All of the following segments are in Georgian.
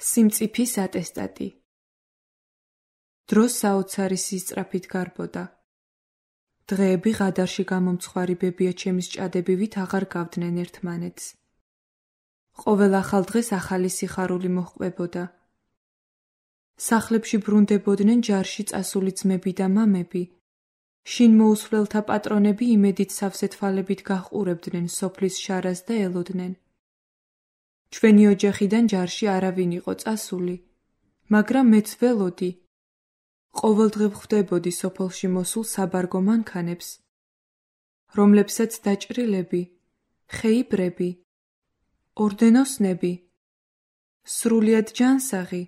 სიმწიფის ატესტატი. დრო საოცარი სისწრაფით გარბოდა. დღეები ღადარში გამომცხვარი ბებიაჩემის ჭადებივით აღარ გავდნენ ერთმანეთს. ყოველ ახალ დღეს ახალი სიხარული მოჰყვებოდა. სახლებში ბრუნდებოდნენ ჯარში წასული ძმები და მამები. შინ მოუსვლელთა პატრონები იმედით სავსე თვალებით გაჰყურებდნენ სოფლის შარას და ელოდნენ. ჩვენი ოჯახიდან ჯარში არავინ იყო წასული, მაგრამ მეც ველოდი. ყოველდღე ვხვდებოდი სოფელში მოსულ საბარგო მანქანებს, რომლებსაც დაჭრილები, ხეიბრები, ორდენოსნები, სრულიად ჯანსაღი,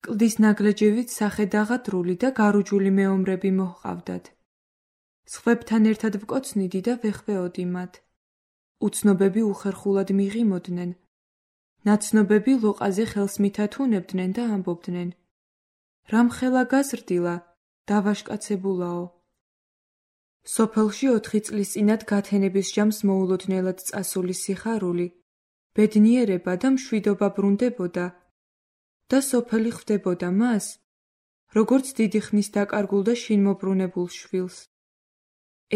კლდის ნაგლეჯევით სახედაღადრული და გარუჯული მეომრები მოჰყავდათ. სხვებთან ერთად ვკოცნიდი და ვეხვეოდი მათ. უცნობები უხერხულად მიღიმოდნენ. ნაცნობები ლოყაზე ხელს მითათუნებდნენ და ამბობდნენ: რამხელა გაზრდილა, დავაშკაცებულაო. სოფელში 4 წლის წინათ გათენების ჟამს მოულოდნელად წასული სიხარული, ბედნიერება და მშვიდობა ბრუნდებოდა და სოფელი ხვდებოდა მას, როგორც დიდი ხნის დაკარგულ და შინ მობრუნებულ შვილს.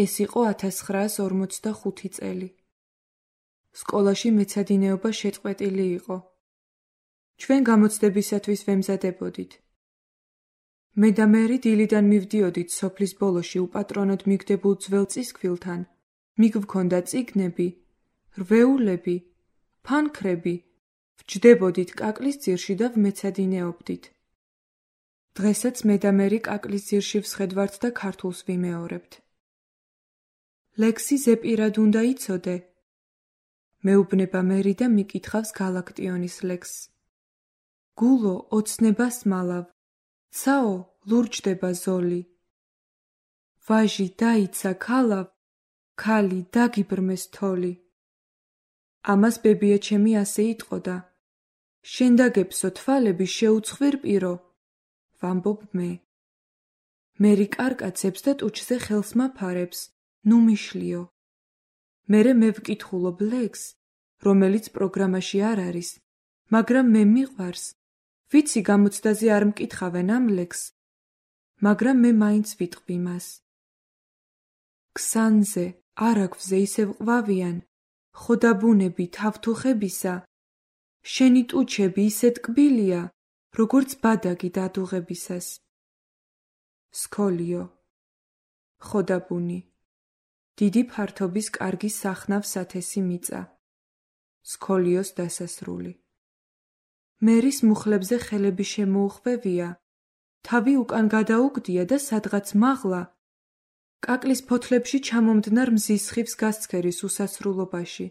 ეს იყო 1945 წელი. სკოლაში მეცადინეობა შეწყვეტილი იყო. ჩვენ გამოცდებისათვის ვემზადებოდით. მე და მერი დილიდან მივდიოდით სოფლის ბოლოში უპატრონოდ მიგდებულ ძველ წისქვილთან. მიგვქონდა წიგნები, რვეულები, ფანქრები, ვჯდებოდით კაკლის ძირში და ვმეცადინეობდით. დღესაც მე და მერი კაკლის ძირში ვსხედვართ და ქართულს ვიმეორებთ. ლექსი ზეპირად უნდა იცოდე. მეუბნება მერი და მიკითხავს გალაქტიონის ლექსს. გულო ოცნებას მალავ, ცაო ლურჯდება ზოლი. ვაჟი დაიცა ქალავ, ქალი დაგიბრმეს თოლი. ამას ბებიაჩემი ასე იტყოდა. შენ დაგეფსო თვალები შეუცხვირ პირო, ვამბობ მე. მერი კარკაცებს და ტუჩზე ხელს მაფარებს, ნუ მიშლიო. მერე მე ვკითხულობ ლექსს, რომელიც პროგრამაში არ არის, მაგრამ მე მიყვარს. ვიცი გამოცდაზე არ მკითხავენ ამ ლექსს, მაგრამ მე მაინც ვიტყვი მას. ქსანზე, არაგვზე ისევ ყვავიან, ხოდაბუნები თავთუხებისა, შენი ტუჩები ისეთ კბილია, როგორც ბადაგი დადუღებისას. სქოლიო, ხოდაბუნი, დიდი ფართობის კარგი სახნავ სათესი მიწა. სქოლიოს დასასრული. მერის მუხლებზე ხელები შემოუხვევია, თავი უკან გადაუგდია და სადღაც მაღლა, კაკლის ფოთლებში ჩამომდნარ მზის ხივს გასცქერის უსასრულობაში.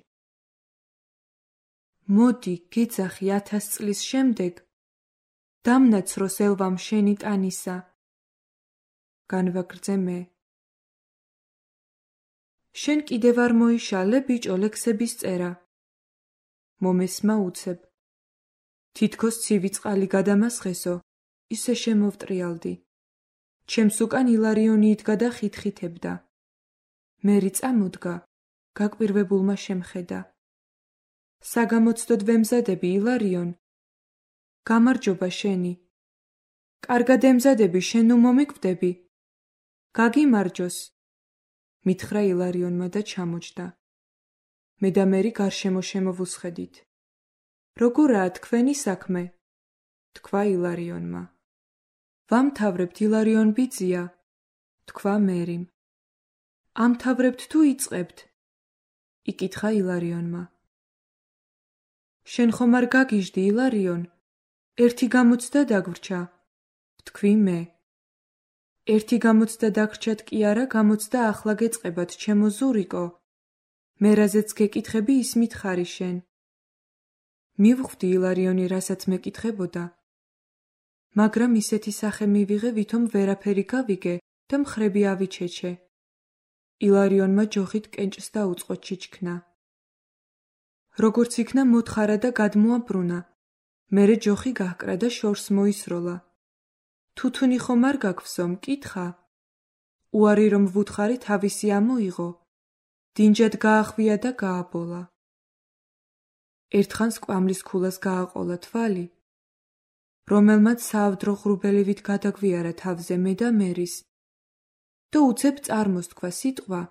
მოდი, გეძახი 1000 წლის შემდეგ, დამნაცროს ელვამ შენი ტანისა. განვაგრძე მე. შენ კიდევ არ მოიშალე, ბიჭო, ლექსების წერა. მომესმა უცებ. თითქოს ცივი წყალი გადამასხესო, ისე შემოვტრიალდი. ჩემს უკან ილარიონი იდგა და ხითხითებდა. მერი წამოდგა, გაკვირვებულმა შემხედა. საგამოცდოდ ვემზადები, ილარიონ. გამარჯობა შენი. კარგად ემზადები, შენ ნუ მომიკვდები. გაგიმარჯოს. მითხრა ილარიონმა და ჩამოჯდა. მე და მერი გარშემო შემოვუსხედით. როგორაა თქვენი საქმე? თქვა ილარიონმა. ვამთავრებთ, ილარიონ ბიძია, თქვა მერიმ. ამთავრებთ თუ იწყებთ? იკითხა ილარიონმა. შენ ხომ არ გაგიჟდი, ილარიონ? ერთი გამოცდა დაგვრჩა, ვთქვი მე. ერთი გამოცდა დაგრჩათ კი არა, გამოცდა ახლა გეწყებათ, ჩემო ზურიკო. მე რაზეც გეკითხები, ის მითხარი შენ. მივხვდი ილარიონი რასაც მეკითხებოდა, მაგრამ ისეთი სახე მივიღე, ვითომ ვერაფერი გავიგე და მხრები ავიჩეჩე. ილარიონმა ჯოხით კენჭს დაუწყო ჩიჩქნა. როგორც იქნა მოთხარა და გადმოაბრუნა, მერე ჯოხი გაჰკრა და შორს მოისროლა. თუთუნი ხომ არ გაგვსო, მკითხა. უარი რომ ვუთხარი თავისი ამოიღო, დინჯად გაახვია და გააბოლა. ერთხანს კვამლის ქულას გააყოლა თვალი, რომელმაც საავდრო ღრუბელივით გადაგვიარა თავზე მე და მერის. და უცებ წარმოსთქვა სიტყვა,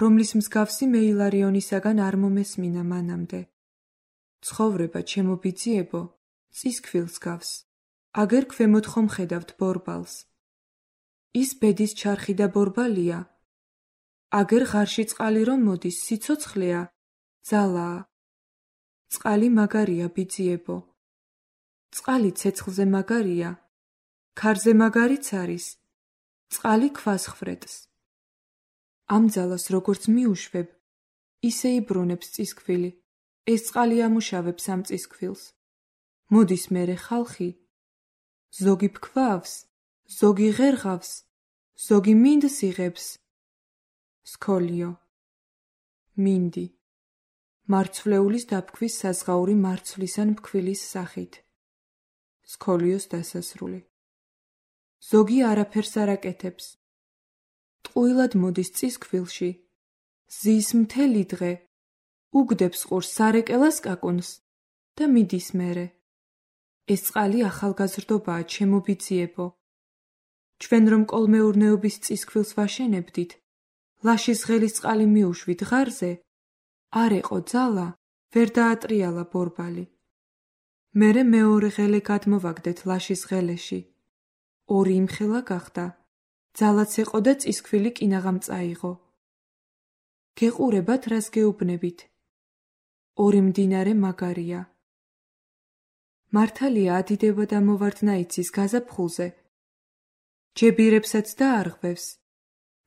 რომლის მსგავსი მე ილარიონისაგან არ მომესმინა მანამდე. ცხოვრება, ჩემო ბიძიებო, წისქვილს გავს, აგერ ქვემოთ ხომ ხედავთ ბორბალს. ის ბედის ჩარხი და ბორბალია, აგერ ღარში წყალი რომ მოდის, სიცოცხლეა, ძალაა. წყალი მაგარია, ბიძიებო. წყალი ცეცხლზე მაგარია, ქარზე მაგარიც არის, წყალი ქვას ხვრეტს. ამ ძალას როგორც მიუშვებ, ისე იბრუნებს წისქვილი, ეს წყალი ამუშავებს ამ წისქვილს. მოდის მერე ხალხი, ზოგი ფქვავს, ზოგი ღერღავს, ზოგი მინდს იღებს. სქოლიო. მინდი. მარცვლეულის დაფქვის საზღაური მარცვლისან ფქვილის სახით. სქოლიოს დასასრული. ზოგი არაფერს არ აკეთებს. ტყუილად მოდის წისქვილში, ზის მთელი დღე, უგდებს ყურს სარეკელას კაკუნს და მიდის მერე. ეს წყალი ახალგაზრდობაა, ჩემო ბიძიებო. ჩვენ რომ კოლმეურნეობის წისქვილს ვაშენებდით, ლაშის ღელის წყალი მიუშვით ღარზე, არ ეყო ძალა, ვერ დაატრიალა ბორბალი. მერე მეორე ღელე გადმოვაგდეთ ლაშის ღელეში. ორი იმხელა გახდა, ძალაც ეყო და წისქვილი კინაღამ წაიღო. გეყურებათ, რას გეუბნებით. ორი მდინარე მაგარია. მართალია ადიდება და მოვარდნა იცის გაზაფხულზე. ჯებირებსაც და არღვევს.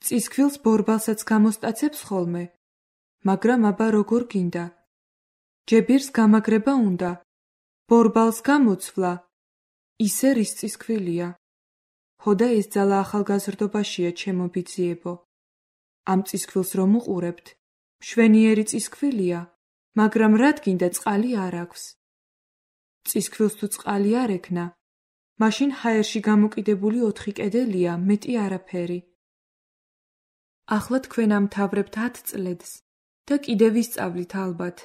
წისქვილს ბორბალსაც გამოსტაცებს ხოლმე, მაგრამ აბა როგორ გინდა. ჯებირს გამაგრება უნდა, ბორბალს გამოცვლა, ისე რის წისქვილია. ხოდა ეს ძალა ახალგაზრდობაშია, ჩემო ბიძიებო. ამ წისქვილს რომ უყურებთ, მშვენიერი წისქვილია, მაგრამ რადგინდა წყალი არ აქვს. წისქვილს თუ წყალი არ ექნა, მაშინ ჰაერში გამოკიდებული 4 კედელია, მეტი არაფერი. ახლა თქვენ ამთავრებთ 10 წლედს და კიდევ ვისწავლით ალბათ.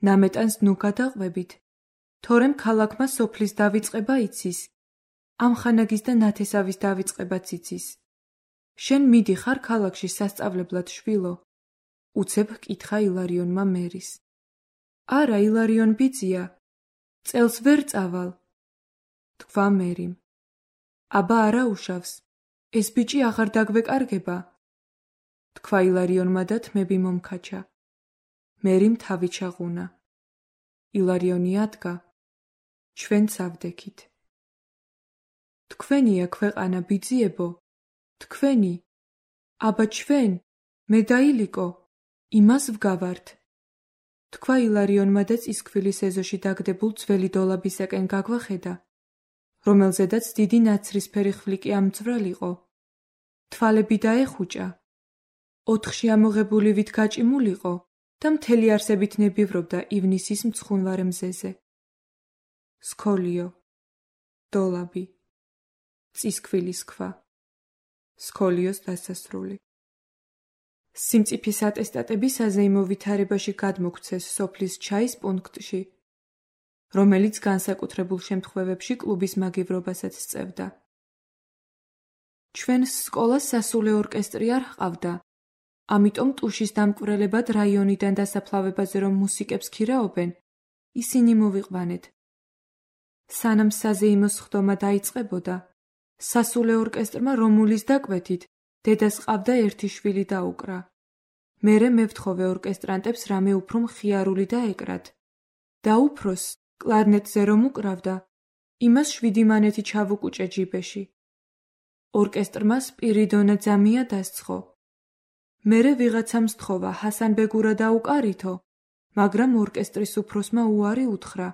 ნამეტანს ნუ გადაყვებით, თორემ ქალაქმა სოფლის დავიწყება იცის, ამხანაგის და ნათესავის დავიწყებაც იცის. შენ მიდიხარ ქალაქში სასწავლებლად, შვილო? უცებ ჰკითხა ილარიონმა მერის. არა, ილარიონ ბიძია, წელს ვერ წავალ. თქვა მერიმ. აბა არა უშავს, ეს ბიჭი აღარ დაგვეკარგება. თქვა ილარიონმა და თმები მომქაჩა. მერიმ თავი ჩაღუნა. ილარიონი ადგა. ჩვენ წავდექით. თქვენია ქვეყანა, ბიძიებო, თქვენი. აბა ჩვენ, მე და ილიკო, იმას ვგავართ. თქვა ილარიონმა და წისქვილის ეზოში დაგდებულ ძველი დოლაბისაკენ გაგვახედა, რომელზედაც დიდი ნაცრისფერი ხვლიკი ამძვრალიყო. თვალები დაეხუჭა. 4-ში ამოღებული ვით გაჭიმულიყო და მთელი არსებით ნებივრობდა ივნისის მცხუნვარე მზეზე. სქოლიო. დოლაბი. წისქვილის ქვა. სქოლიოს დასასრული. სიმწიფის ატესტატები საზეიმო ვითარებაში გადმოგვცეს სოფლის ჩაის პუნქტში, რომელიც განსაკუთრებულ შემთხვევებში კლუბის მაგივრობასაც სწევდა. ჩვენს სკოლას სასულე ორკესტრი არ ჰყავდა, ამიტომ ტუშის დამკვირვებლებად რაიონიდან დასაფლავებაზე რომ მუსიკებს ქირაობენ, ისინი მოვიყვანეთ. სანამ საზეიმოს ხდომა დაიწყებოდა, სასულე ორკესტრმა რომულის დაკვეთით დედას ყავდა ერთი შვილი დაუკრა. მერე მე ვთხოვე ორკესტრანტებს რამე უფრო მხიარული დაეკრათ. და უფროს, კლარნეტზე რომ უკრავდა, იმას 7 მანეთი ჩავუკუჭე ჯიბეში. ორკესტრმა სპირიდონა ძამია დასცხო. მერე ვიღაცამ სთხოვა ჰასანბეგურა დაუკარითო, მაგრამ ორკესტრის უფროსმა უარი უთხრა.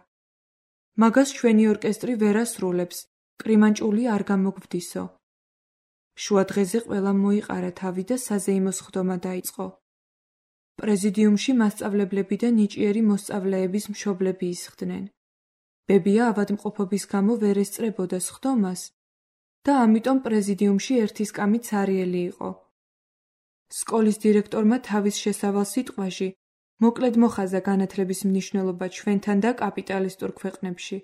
მაგას ჩვენი ორკესტრი ვერ ასრულებს, კრიმანჭული არ გამოგვდისო. შუა დღეზე ყველამ მოიყარა თავი და საზეიმოს ხდომა დაიწყო. პრეზიდიუმში მასწავლებლები და ნიჭიერი მოსწავლეების მშობლები ისხდნენ. ბებია ავადმყოფობის გამო ვერ ესწრებოდა სხდომას და ამიტომ პრეზიდიუმში ერთი სკამი ცარიელი იყო. სკოლის დირექტორმა თავის შესავალ სიტყვაში მოკლედ მოხაზა განათლების მნიშვნელობა ჩვენთან და კაპიტალისტურ ქვეყნებში.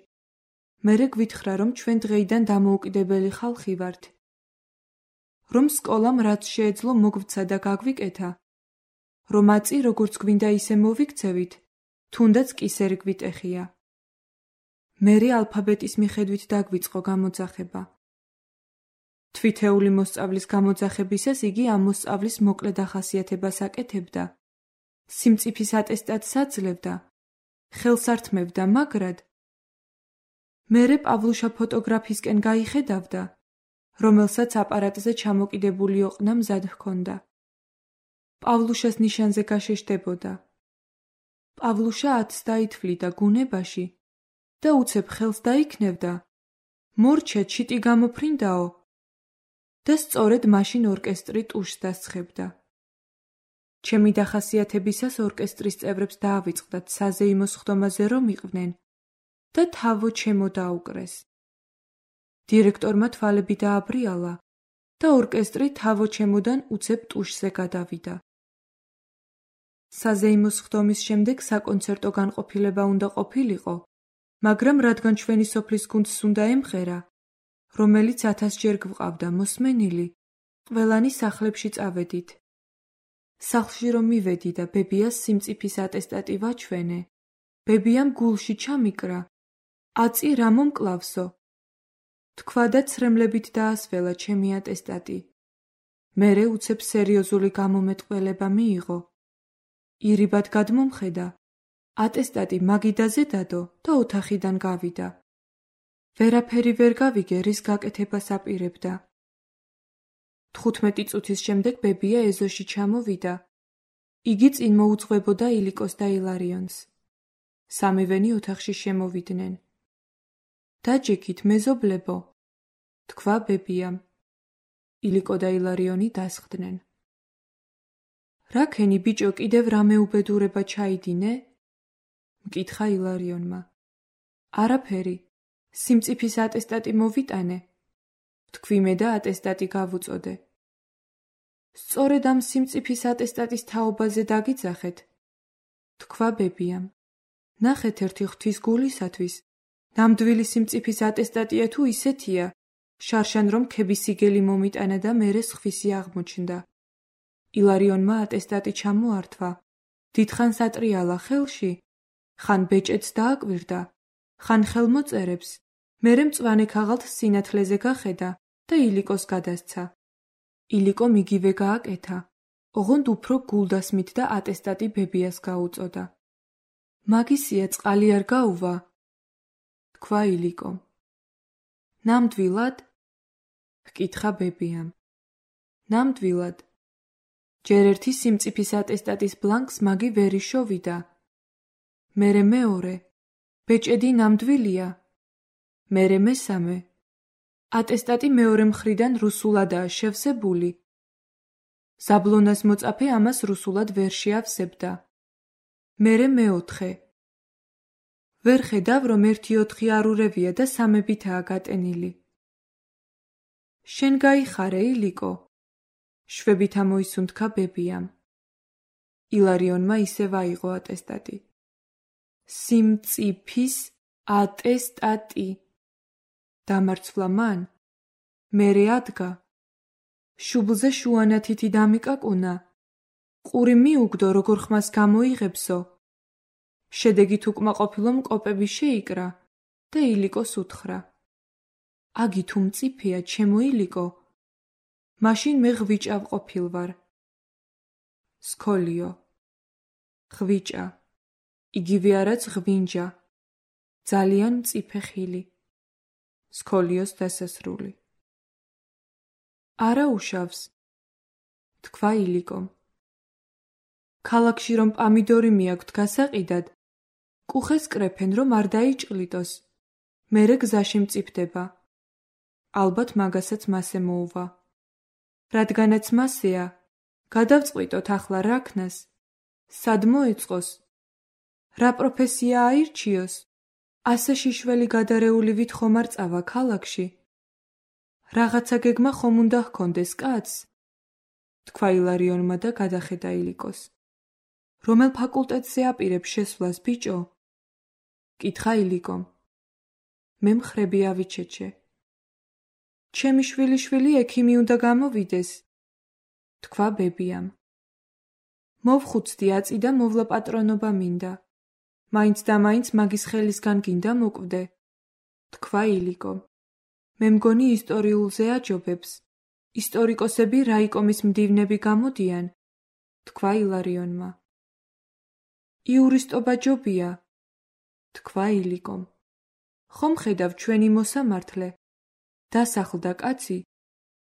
მერე გვითხრა, რომ ჩვენ დღეიდან დამოუკიდებელი ხალხი ვართ. რომ სკოლამ რაც შეეძლო მოგვცა და გაგვიკეთა, რომ აწი როგორც გვინდა ისე მოვიქცევით, თუნდაც კისერი გვიტეხია. მერე ალფაბეტის მიხედვით დაგვიწყო გამოძახება. თვითეული მოსწავლის გამოძახებისას იგი ამ მოსწავლის მოკლე დახასიათებას აკეთებდა, სიმწიფის ატესტატს აძლევდა, ხელს ართმევდა, მაგრად მერე პავლუშა ფოტოგრაფისკენ გაიხედავდა, რომელსაც აპარატზე ჩამოკიდებული ოყნა მზად ჰქონდა. პავლუშას ნიშანზე გაშეშდებოდა. პავლუშა ათს დაითვლიდა გუნებაში და უცებ ხელს დაიქნევდა, მორჩა ჩიტი გამოფრინდაო და სწორედ მაშინ ორკესტრი ტუშს დასცხებდა. ჩემი დახასიათებისას ორკესტრის წევრებს დაავიწყდათ საზეიმო სხდომაზე რომ იყვნენ და თავო ჩემო დაუკრეს. დირექტორმა თვალები დააბრიალა და ორკესტრი თავო ჩემოდან უცებ ტუშზე გადავიდა. საზეიმო სხდომის შემდეგ საკონცერტო განყოფილება უნდა ყოფილიყო, მაგრამ რადგან ჩვენი სოფლის გუნდს უნდა ემღერა, რომელიც 1000 ჯერ გვყავდა მოსმენილი, ყველანი სახლებში წავედით. სახლში რომ მივედი და ბებიას სიმწიფის ატესტატი ვაჩვენე, ბებიამ გულში ჩამიკრა, აწი რა მომკლავსო. თქვა და ცრემლებით დაასველა ჩემი ატესტატი. მერე უცებ სერიოზული გამომეტყველება მიიღო. ირიბად გადმომხედა, ატესტატი მაგიდაზე დადო და ოთახიდან გავიდა. ვერაფერი ვერ გავიგე, რის გაკეთებას აპირებდა. 15 წუთის შემდეგ ბებია ეზოში ჩამოვიდა. იგი წინ მოუძღვებოდა ილიკოს და ილარიონს. სამივენი ოთახში შემოვიდნენ. დაჯექით, მეზობლებო, თქვა ბებიამ. ილიკო და ილარიონი დასხდნენ. რაქენი ბიჭო კიდევ რამე უბედურება ჩაიდინე? მკითხა ილარიონმა. არაფერი, სიმწიფის ატესტატი მოვიტანე. თქვი მე და ატესტატი გავუწოდე. სწორედ ამ სიმწიფის ატესტატის თაობაზე დაგიძახეთ. თქვა ბებიამ. ნახეთ ერთი ღვთის გულისათვის, ნამდვილი სიმწიფის ატესტატია თუ ისეთია, შარშან რომ ქებისიგელი მომიტანა და მერე სხვისი აღმოჩნდა. ილარიონმა ატესტატი ჩამოართვა, დიდხანს ატრიალა ხელში, ხან ბეჭედს დააკვირდა, ხან ხელმოწერებს, მერე მწვანე ქაღალდს სინათლეზე გახედა და ილიკოს გადასცა. ილიკომ იგივე გააკეთა, ოღონდ უფრო გულდასმით და ატესტატი ბებიას გაუწოდა. მაგისია წყალი არ გაუვა? თქვა ილიკომ. ნამდვილად? ჰკითხა ბებიამ. ნამდვილად. ჯერ ერთი სიმწიფის ატესტატის ბლანკს მაგი ვერ იშოვიდა. მერე მეორე, ბეჭედი ნამდვილია. მერე მესამე, ატესტატი მეორე მხრიდან რუსულადაა შევსებული. ზაბლონას მოწაფე ამას რუსულად ვერ შეავსებდა. მერე მეოთხე. ვერ ხედავ, რომ 1-4 არურევია და სამებითაა გატენილი. შენ გაიხარე, ილიკო? შვებით ამოისუნთქა ბებიამ. ილარიონმა ისევ აიღო ატესტატი. სიმწიფის ატესტატი. დამარცვლა მან. მერე ადგა. შუბლზე შუანათითი დამიკაკუნა. ყური მიუგდო, როგორ ხმას გამოიღებსო. შედეგით უკმაყოფილო მკოპები შეიკრა და ილიკოს უთხრა. აგი თუ მწიფეა, ჩემო ილიკო, მაშინ მე ღვიჭა ვყოფილ ვარ. სქოლიო. ღვიჭა. იგივე არაც ღვინჯა. ძალიან მწიფე ხილი. სქოლიოს დასასრული. არა უშავს. თქვა ილიკომ. ქალაქში რომ პამიდორი მიაქვთ გასაყიდად, კუხეს კრეფენ, რომ არ დაიჭყლიტოს. მერე გზაში მწიფდება. ალბათ მაგასაც მასე მოუვა. რადგანაც მასეა, გადავწყვიტოთ ახლა რა ქნას. სად მოეწყოს? რა პროფესია აირჩიოს? ასე შიშველი გადარეული ვით ხომ არ წავა ქალაქში? რაღაცა გეგმა ხომ უნდა ჰქონდეს კაცს? თქვა ილარიონმა და გადახედა ილიკოს. რომელ ფაკულტეტზე აპირებ შესვლას, ბიჭო? კითხა ილიკომ. მე მხრები ავიჩეჩე. ჩემი შვილი ექიმი უნდა გამოვიდეს, თქვა ბებიამ. მოვხუცდი აწი და მოვლა პატრონობა მინდა. მაინც და მაინც მაგის ხელისგან გინდა მოკვდე, თქვა ილიკომ. მე მგონი ისტორიულზე აჯობებს. ისტორიკოსები რაიკომის მდივნები გამოდიან, თქვა ილარიონმა. იურისტობა ჯობია, თქვა ილიკომ. ხომ ხედავ ჩვენი მოსამართლე, დასახლდა კაცი,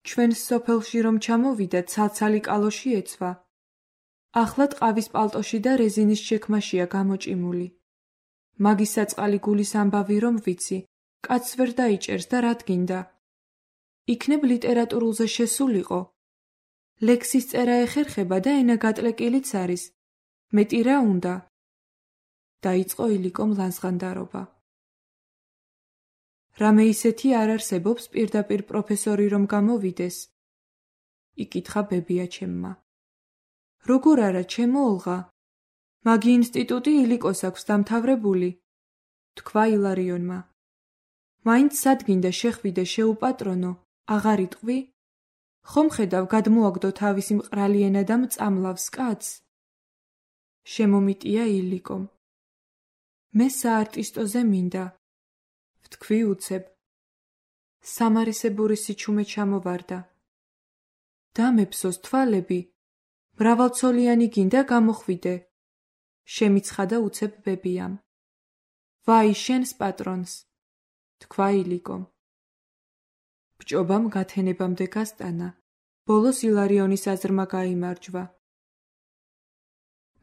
ჩვენს სოფელში რომ ჩამოვიდა ცალცალი კალოში ეცვა. ახლა ტყავის პალტოში და რეზინის შექმაშია გამოჭიმული. მაგის საწყალი გულის ამბავი რომ ვიცი, კაცს ვერ დაიჭერს და რა დგინდა. იქნებ ლიტერატურულზე შესულიყო. ლექსის წერა ეხერხება და ენა გატლეკილიც არის. მეტი რა უნდა? დაიწყო ილიკომ ლანძღანდარობა. რამე ისეთი არ არსებობს პირდაპირ პროფესორი რომ გამოვიდეს? იკითხა ბებია ჩემმა. როგორ არა, ჩემო ოლღა? მაგი ინსტიტუტი ილიკოს აქვს დამთავრებული, თქვა ილარიონმა. მაინც სადგინდა შეხვიდე შეუპატრონო, აღარ იტყვი? ხომ ხედავ გადმოაგდო თავისი მყრალი ენა და მწამლავს კაცს? შემომიტია ილიკომ. მე საარტისტოზე მინდა, ვთქვი უცებ. სამარისებური სიჩუმე ჩამოვარდა. დამეფსოს თვალები, მრავალცოლიანი გინდა გამოხვიდე, შემიცხადა უცებ ბებიამ. ვაი შენს პატრონს, თქვა ილიკომ. ბჭობამ გათენებამდე გასტანა, ბოლოს ილარიონის აზრმა გაიმარჯვა.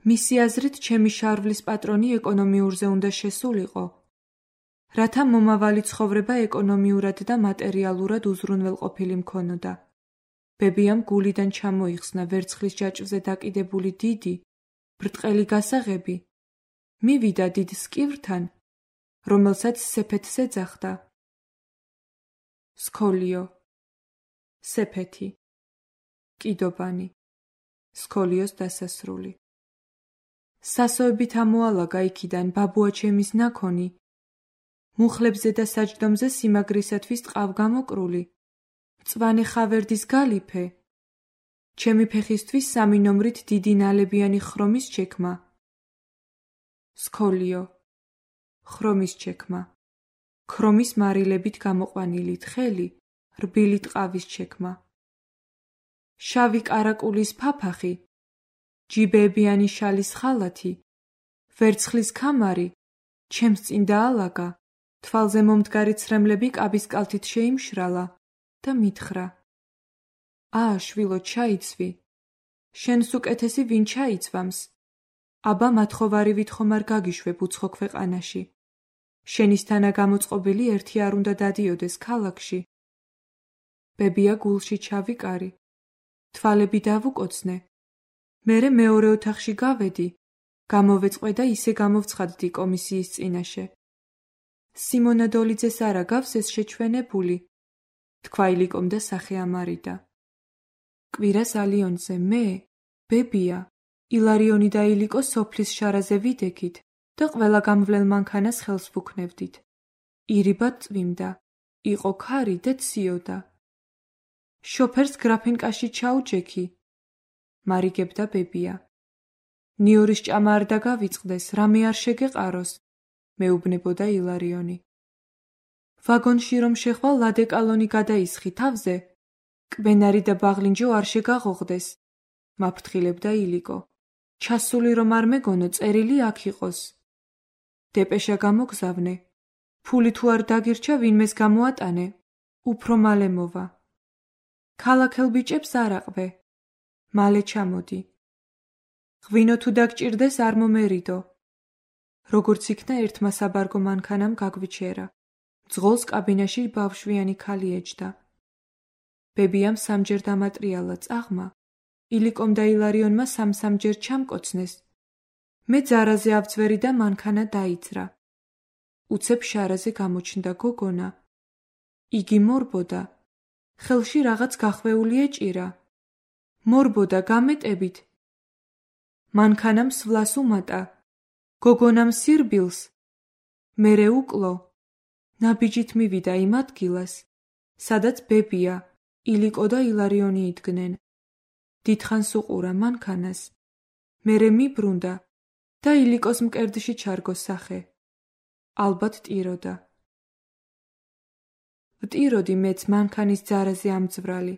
მისი აზრით ჩემი შარვლის პატრონი ეკონომიურზე უნდა შესულიყო, რათა მომავალი ცხოვრება ეკონომიურად და მატერიალურად უზრუნველყოფილი მქონოდა. ბებიამ გულიდან ჩამოიხსნა ვერცხლის ჯაჭვზე დაკიდებული დიდი, ბრტყელი გასაღები, მივიდა დიდ სკივრთან, რომელსაც სეფეთს ეძახდა. სქოლიო, სეფეთი, კიდობანი, სქოლიოს დასასრული. სასოებით ამოალაგა იქიდან ბაბუა ჩემის ნაქონი, მუხლებზე და საჯდომზე სიმაგრისათვის ტყავგამოკრული, მწვანე ხავერდის გალიფე, ჩემი ფეხისთვის 3 ნომრით დიდი ნალებიანი ხრომის ჩექმა. სქოლიო, ხრომის ჩექმა, ქრომის მარილებით გამოყვანილი თხელი, რბილი ტყავის ჩექმა. შავი კარაკულის ფაფახი, ჯიბეებიანი შალის ხალათი, ვერცხლის ქამარი, ჩემს წინ დაალაგა, თვალზე მომდგარი ცრემლები კაბის კალთით შეიმშრალა და მითხრა. შვილო, ჩაიცვი. შენს უკეთესი ვინ ჩაიცვამს? აბა მათხოვარი ვითხოვ არ გაგიშვებ უცხო ქვეყანაში. შენისთანა გამოწყობილი ერთი არ უნდა დადიოდეს ქალაქში. ბებია გულში ჩავიკარი. თვალები დავუკოცნე. მერე მეორე ოთახში გავედი, გამოვეწყვე და ისე გამოვცხადდი კომისიის წინაშე. სიმონა დოლიძეს არ აგავს ეს შეჩვენებული, თქვა ილიკომ და სახე ამარიდა. კვირას ალიონზე მე, ბებია, ილარიონი და ილიკო სოფლის შარაზე ვიდექით და ყველა გამვლელ მანქანას ხელს ვუქნევდით. ირიბად წვიმდა, იყო ქარი და ციოდა. შოფერს გრაფინკაში ჩაუჯექი, მარიგებდა ბებია. ნიორის ჭამა არ დაგავიწყდეს, რამე არ შეგეყაროს, მეუბნებოდა ილარიონი. ვაგონში რომ შეხვალ ლადეკალონი გადაისხი თავზე, კბენარი და ბაღლინჯო არ შეგაღოღდეს, მაფრთხილებდა ილიკო. ჩასული რომ არ მეგონო, წერილი აქ იყოს. დეპეშა გამოგზავნე, ფული თუ არ დაგირჩა ვინმეს გამოატანე, უფრო მალე მოვა. ქალაქელ ბიჭებს არ აყვე, მალე ჩამოდი. ღვინო თუ დაგჭირდეს არ მომერიდო. როგორც იქნა ერთმა საბარგო მანქანამ გაგვიჩერა. ძღოლს კაბინაში ბავშვიანი ქალი ეჯდა. ბებიამ 3 ჯერ დამატრიალა წაღმა, ილიკომ და ილარიონმა 3 ჯერ ჩამკოცნეს. მე ძარაზე ავწვერი და მანქანა დაიძრა. უცებ შარაზე გამოჩნდა გოგონა. იგი მორბოდა. ხელში რაღაც გახვეული ეჭირა. მორბოდა გამეტებით. მანქანამ სვლას უმატა. გოგონამ სირბილს. მერე უკლო. ნაბიჯით მივიდა იმ ადგილას, სადაც ბებია, ილიკო და ილარიონი იდგნენ. დიდხანს უყურა მანქანას, მერე მიბრუნდა და ილიკოს მკერდში ჩარგო სახე. ალბათ ტიროდა. ვტიროდი მეც მანქანის ძარაზე ამძვრალი.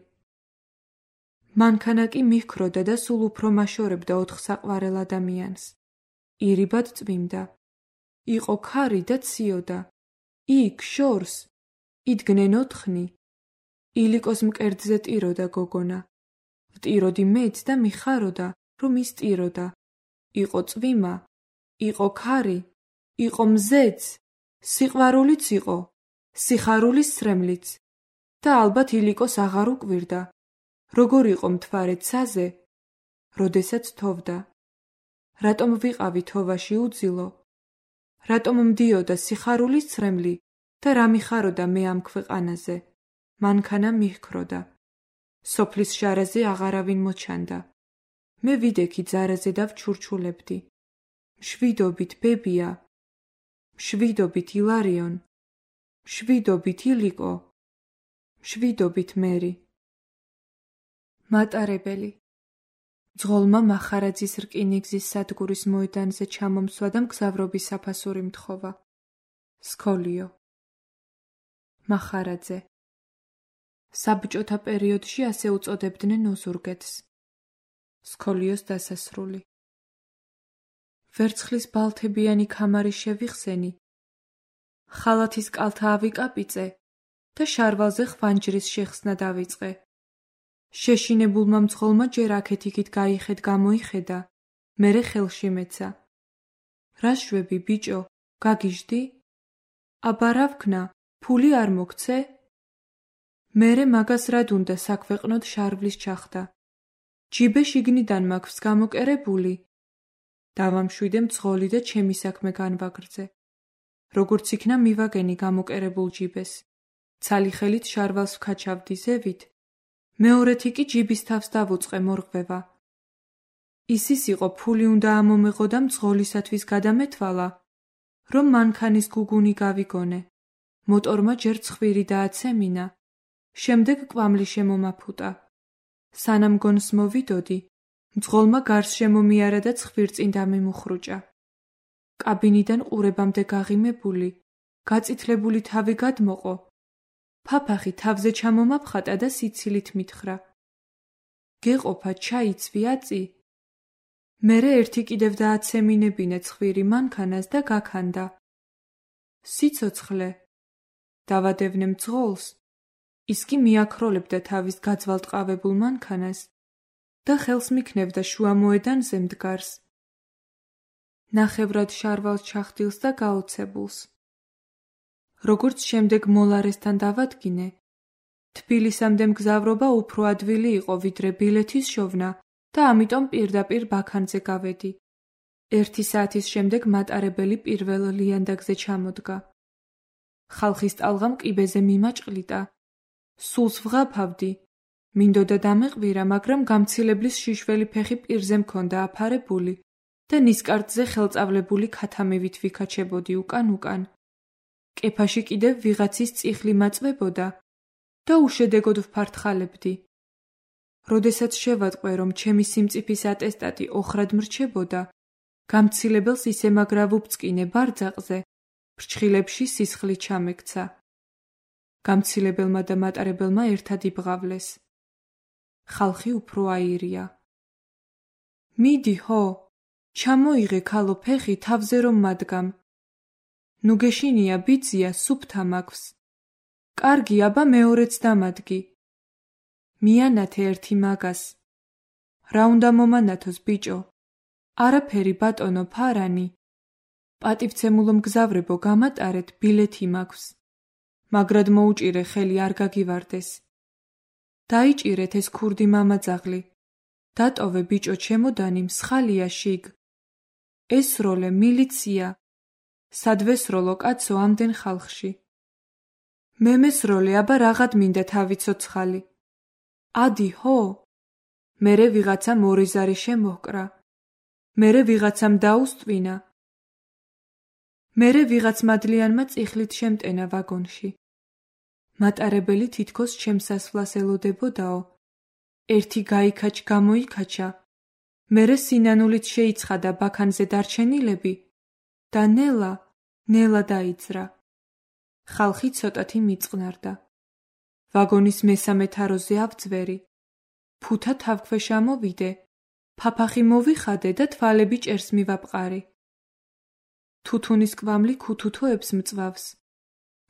მანქანა კი მიჰქროდა და სულ უფრო მაშორებდა 4 საყვარელ ადამიანს. ირიბად წვიმდა. იყო ქარი და ციოდა. იქ შორს იდგნენ 4. ილიკოს მკერდზე ტიროდა გოგონა. ვტიროდი მეც და მიხაროდა, რომ ის ტიროდა. იყო წვიმა, იყო ქარი, იყო მზეც, სიყვარულიც იყო, სიხარულის სრემლიც და ალბათ ილიკოს აღარ უკვირდა. როგორ იყო მთვარე ცაზე, როდესაც თოვდა. რატომ ვიყავი თოვაში უძილო? რატომ მდიოდა სიხარულის ცრემლი და რა მიხაროდა მე ამ ქვეყანაზე? მანქანა მიჰქროდა. სოფლის შარაზე აღარავინ მოჩანდა. მე ვიდექი ძარაზე და ვჩურჩულებდი. მშვიდობით ბებია, მშვიდობით ილარიონ, მშვიდობით ილიკო, მშვიდობით მერი. მატარებელი. ძღოლმა მახარაძის რკინიგზის სადგურის მოედანზე ჩამომსვა და მგზავრობის საფასური მთხოვა. სქოლიო. მახარაძე. საბჭოთა პერიოდში ასე უწოდებდნენ ოზურგეთს. სქოლიოს დასასრული. ვერცხლის ბალთებიანი ქამარი შევიხსენი, ხალათის კალთა ავიკაპიწე და შარვალზე ხვანჯრის შეხსნა დავიწყე. შეშინებულმა მძღოლმა ჯერ აქეთ-იქით გაიხედ გამოიხედა, მერე ხელში მეცა. რა შვები ბიჭო, გაგიჟდი? აბა რა ვქნა, ფული არ მოგცე? მერე მაგას რად უნდა საქვეყნოდ შარვლის ჩახდა. ჯიბე შიგნიდან მაქვს გამოკერებული. დავამშვიდე მძღოლი და ჩემი საქმე განვაგრძე. როგორც იქნა მივაგენი გამოკერებულ ჯიბეს. ცალი ხელით შარვალს ვქაჩავდი ზევით. მეორეთი კი ჯიბის თავს დავუწყე მორღვევა. ისის იყო ფული უნდა ამომეღო და მძღოლისათვის გადამეთვალა, რომ მანქანის გუგუნი გავიგონე. მოტორმა ჯერ ცხვირი დააცემინა, შემდეგ კვამლი შემომაფუტა. სანამ გონს მოვიდოდი, მძღოლმა გარს შემომიარა და ცხვირწინ დამიმუხრუჭა. კაბინიდან ყურებამდე გაღიმებული, გაწითლებული თავი გადმოყო. ფაფახი თავზე ჩამომაფხატა და სიცილით მითხრა. გეყოფა ჩაიცვი აწი? მერე ერთი კიდევ დააცემინებინა ცხვირი მანქანას და გაქანდა. სიცოცხლე. დავადევნე მძღოლს. ის კი მიაქროლებდა თავის გაძვალტყავებულ მანქანას და ხელს მიქნევდა შუა მოედანზე მდგარს. ნახევრად შარვალს ჩახდილს და გაოცებულს. როგორც შემდეგ მოლარესთან დავადგინე, თბილისამდე მგზავრობა უფრო ადვილი იყო ვიდრე ბილეთის შოვნა და ამიტომ პირდაპირ ბაქანზე გავედი. 1 საათის შემდეგ მატარებელი პირველ ლიანდაგზე ჩამოდგა. ხალხის ტალღამ ყიბეზე მიმაჭყლიტა. სულს ვღაფავდი. მინდოდა დამეყვირა, მაგრამ გამცილებლის შიშველი ფეხი პირზე მქონდა აფარებული და ნისკარტზე ხელწავლებული ქათამივით ვიქაჩებოდი უკან-უკან. კეფაში კიდევ ვიღაცის წიხლი მაწვებოდა და უშედეგოდ ვფართხალებდი. როდესაც შევატყვე, რომ ჩემი სიმწიფის ატესტატი ოხრად მრჩებოდა, გამცილებელს ისე მაგრა ვუბწკინე ბარძაყზე, ფრჩხილებში სისხლი ჩამექცა. გამცილებელმა და მატარებელმა ერთად იბღავლეს. ხალხი უფრო აირია. მიდი ჰო, ჩამოიღე ქალო ფეხი თავზე რომ მადგამ. ნუ გეშინია ბიძია, სუფთა მაქვს. კარგი, აბა მეორეც დამადგი. მიანათე ერთი მაგას. რა უნდა მომანათოს ბიჭო? არაფერი ბატონო ფარანი. პატივცემულო მგზავრებო, გამატარეთ, ბილეთი მაქვს. მაგრად მოუჭირე ხელი არ გაგივარდეს. დაიჭირეთ ეს ქურდი მამაძაღლი. დატოვე ბიჭო ჩემოდანი, მსხალია შიგ. ესროლე მილიცია. სადვესროლო კაცო ამდენ ხალხში. მე მესროლე, აბა რაღაც მინდა თავი ცოცხალი. ადი ჰო. მერე ვიღაცამ 2 ზარი შემოჰკრა. მერე ვიღაცამ დაუსტვინა. მერე ვიღაც მადლიანმა წიხლით შემტენა ვაგონში. მატარებელი თითქოს ჩემს სასვლას ელოდებოდაო. ერთი გაიქაჩ გამოიქაჩა, მერე სინანულით შეიცხადა ბაქანზე დარჩენილები და ნელა დაიძრა. ხალხი ცოტათი მიწყნარდა. ვაგონის მესამე თაროზე ავძვერი. ფუთა თავქვეშ ამოვიდე, ფაფახი მოვიხადე და თვალები ჭერს მივაპყარი. თუთუნის კვამლი ქუთუთოებს მწვავს.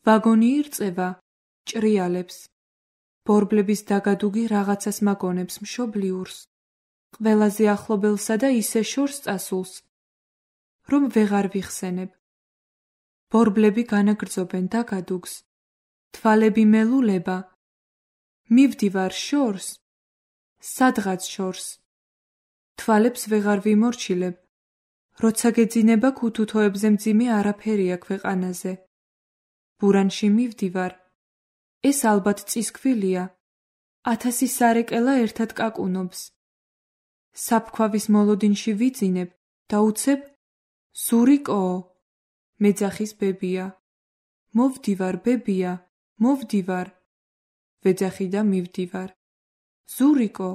ვაგონი ირწევა, ჭრიალებს. ბორბლების დაგადუგი რაღაცას მაგონებს მშობლიურს. ყველაზე ახლობელსა და ისე შორს წასულს, რომ ვეღარ ვიხსენებ. ბორბლები განაგრძობენ დაგადუგს. თვალები მელულება. მივდივარ შორს, სადღაც შორს. თვალებს ვეღარ ვიმორჩილებ. როცა გეძინება ქუთუთოებზე მძიმე არაფერია ქვეყანაზე. ბურანში მივდივარ. ეს ალბათ წისქვილია. 1000 სარეკელა ერთად კაკუნობს. საფქვავის მოლოდინში ვიძინებ და უცებ ზურიკოო, მეძახის ბებია. მოვდივარ ბებია, მოვდივარ. ვეძახი და მივდივარ. ზურიკო,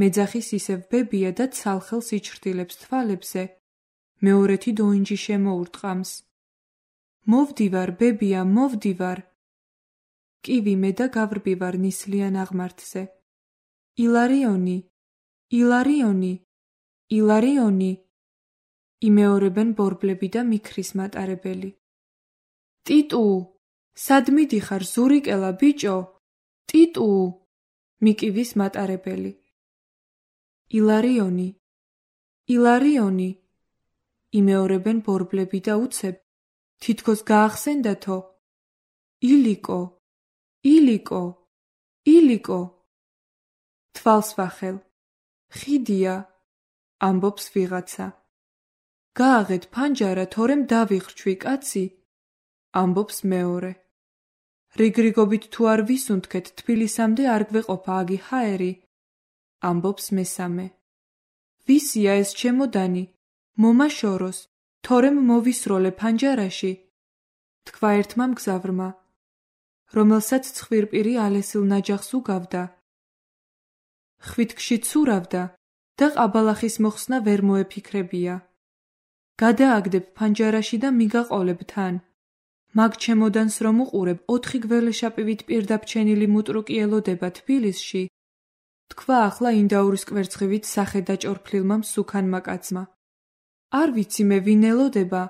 მეძახის ისევ ბებია და ცალხელს იჩრდილებს თვალებზე. მეორეთი დოინჯი შემოურტყამს. მოვდივარ ბებია, მოვდივარ. კივი მე და გავრბივარ ნისლიან აღმართზე. ილარიონი, ილარიონი, ილარიონი. იმეორებენ ბორბლები და მიქრის მატარებელი. ტიტუ, სად მიდიხარ ზურიკელა ბიჭო? ტიტუ, მიკივის მატარებელი. ილარიონი, ილარიონი. იმეორებენ ბორბლები და უცებ, თითქოს გაახსენდათო. ილიკო, ილიკო, ილიკო. თვალს ვახელ. ხიდია, ამბობს ვიღაცა. გააღეთ ფანჯარა, თორემ დავიხრჩვი კაცი, ამბობს მეორე. რიგრიგობით თუ არ ვისუნთქეთ თბილისამდე არ გვეყოფა აგი ჰაერი, ამბობს მესამე. ვისია ეს ჩემოდანი? მომაშოროს, თორემ მოვისროლე ფანჯარაში, თქვა ერთმა მგზავრმა, რომელსაც ცხვირპირი ალესილ ნაჯახს უგავდა. ხვიტკში ცურავდა და ყაბალახის მოხსნა ვერ მოეფიქრებია. გადააგდებ ფანჯარაში და მიგაყოლებ თან. მაგ ჩემოდანს რომ უყურებ 4 გველეშაპივით პირდაბჩენილი მუტრუკი ელოდება თბილისში, თქვა ახლა ინდაურის კვერცხივით სახე დაჭორფლილმა მსუქანმა კაცმა. არ ვიცი მე ვინ ელოდება.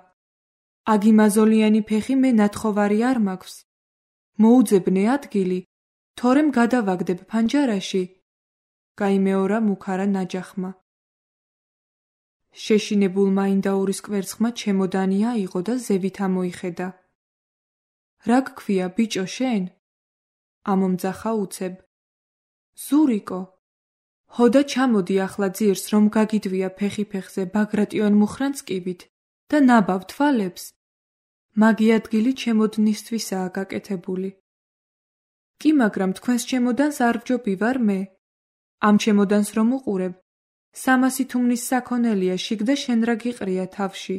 აგი მაზოლიანი ფეხი მე ნათხოვარი არ მაქვს. მოუძებნე ადგილი, თორემ გადავაგდებ ფანჯარაში. გაიმეორა მუქარა ნაჯახმა. შეშინებულმა ინდაურის კვერცხმა ჩემოდანი აიღო და ზევით ამოიხედა. რა გქვია ბიჭო შენ? ამომძახა უცებ. ზურიკო, ჰოდა ჩამოდი ახლა ძირს რომ გაგიდვია ფეხი ფეხზე ბაგრატიონ მუხრანწკივით და ნაბავ თვალებს. მაგი ადგილი ჩემოდნისთვისაა გაკეთებული. კი მაგრამ თქვენს ჩემოდანს არ ვჯობი ვარ მე. ამ ჩემოდანს რომ უყურებ, 300 თუმნის საქონელია შიგ და შენ რა გიყრია თავში.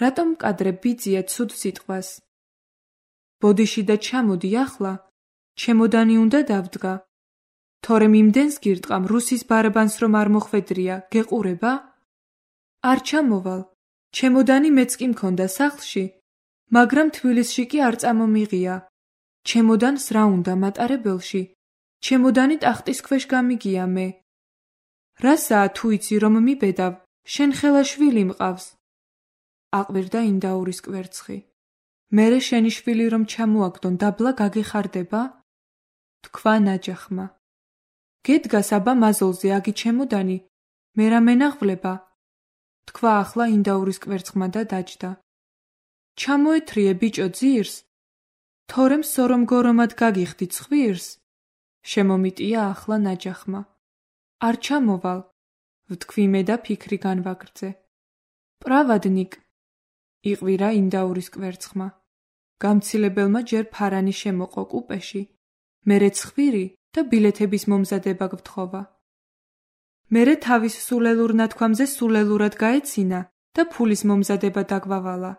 რატომ მკადრებ ბიძია ცუდ სიტყვას? ბოდიში და ჩამოდი ახლა, ჩემოდანი უნდა დავდგა. თორემ იმდენს გირტყამ რუსის ბარაბანს რომ არ მოხვედრია, გეყურება? არ ჩამოვალ, ჩემოდანი მეც კი მქონდა სახლში, მაგრამ თბილისში კი არ წამომიღია. ჩემოდანს რა უნდა მატარებელში? ჩემოდანი ტახტის ქვეშ გამიგია მე. რასაა თუ იცი რომ მიბედავ, შენ ხელა შვილი მყავს. აყვირდა ინდაურის კვერცხი. მერე შენი შვილი რომ ჩამოაგდონ დაბლა გაგეხარდება? თქვა ნაჯახმა. გედგას აბა მაზოლზე აგი ჩემოდანი, მე რა მენაღვლება? თქვა ახლა ინდაურის კვერცხმა და დაჯდა. ჩამოეთრიე ბიჭო ძირს, თორემ სორომ გორომად გაგიხდი ცხვირს? შემომიტია ახლა ნაჯახმა. არ ჩამოვალ, ვთქვი მე და ფიქრი განვაგრძე. პრავადნიკ, იყვირა ინდაურის კვერცხმა. გამცილებელმა ჯერ ფარანი შემოყო კუპეში, მერე ცხვირი და ბილეთების მომზადება გვთხოვა. მერე თავის სულელურ ნათქვამზე სულელურად გაეცინა და ფულის მომზადება დაგვავალა.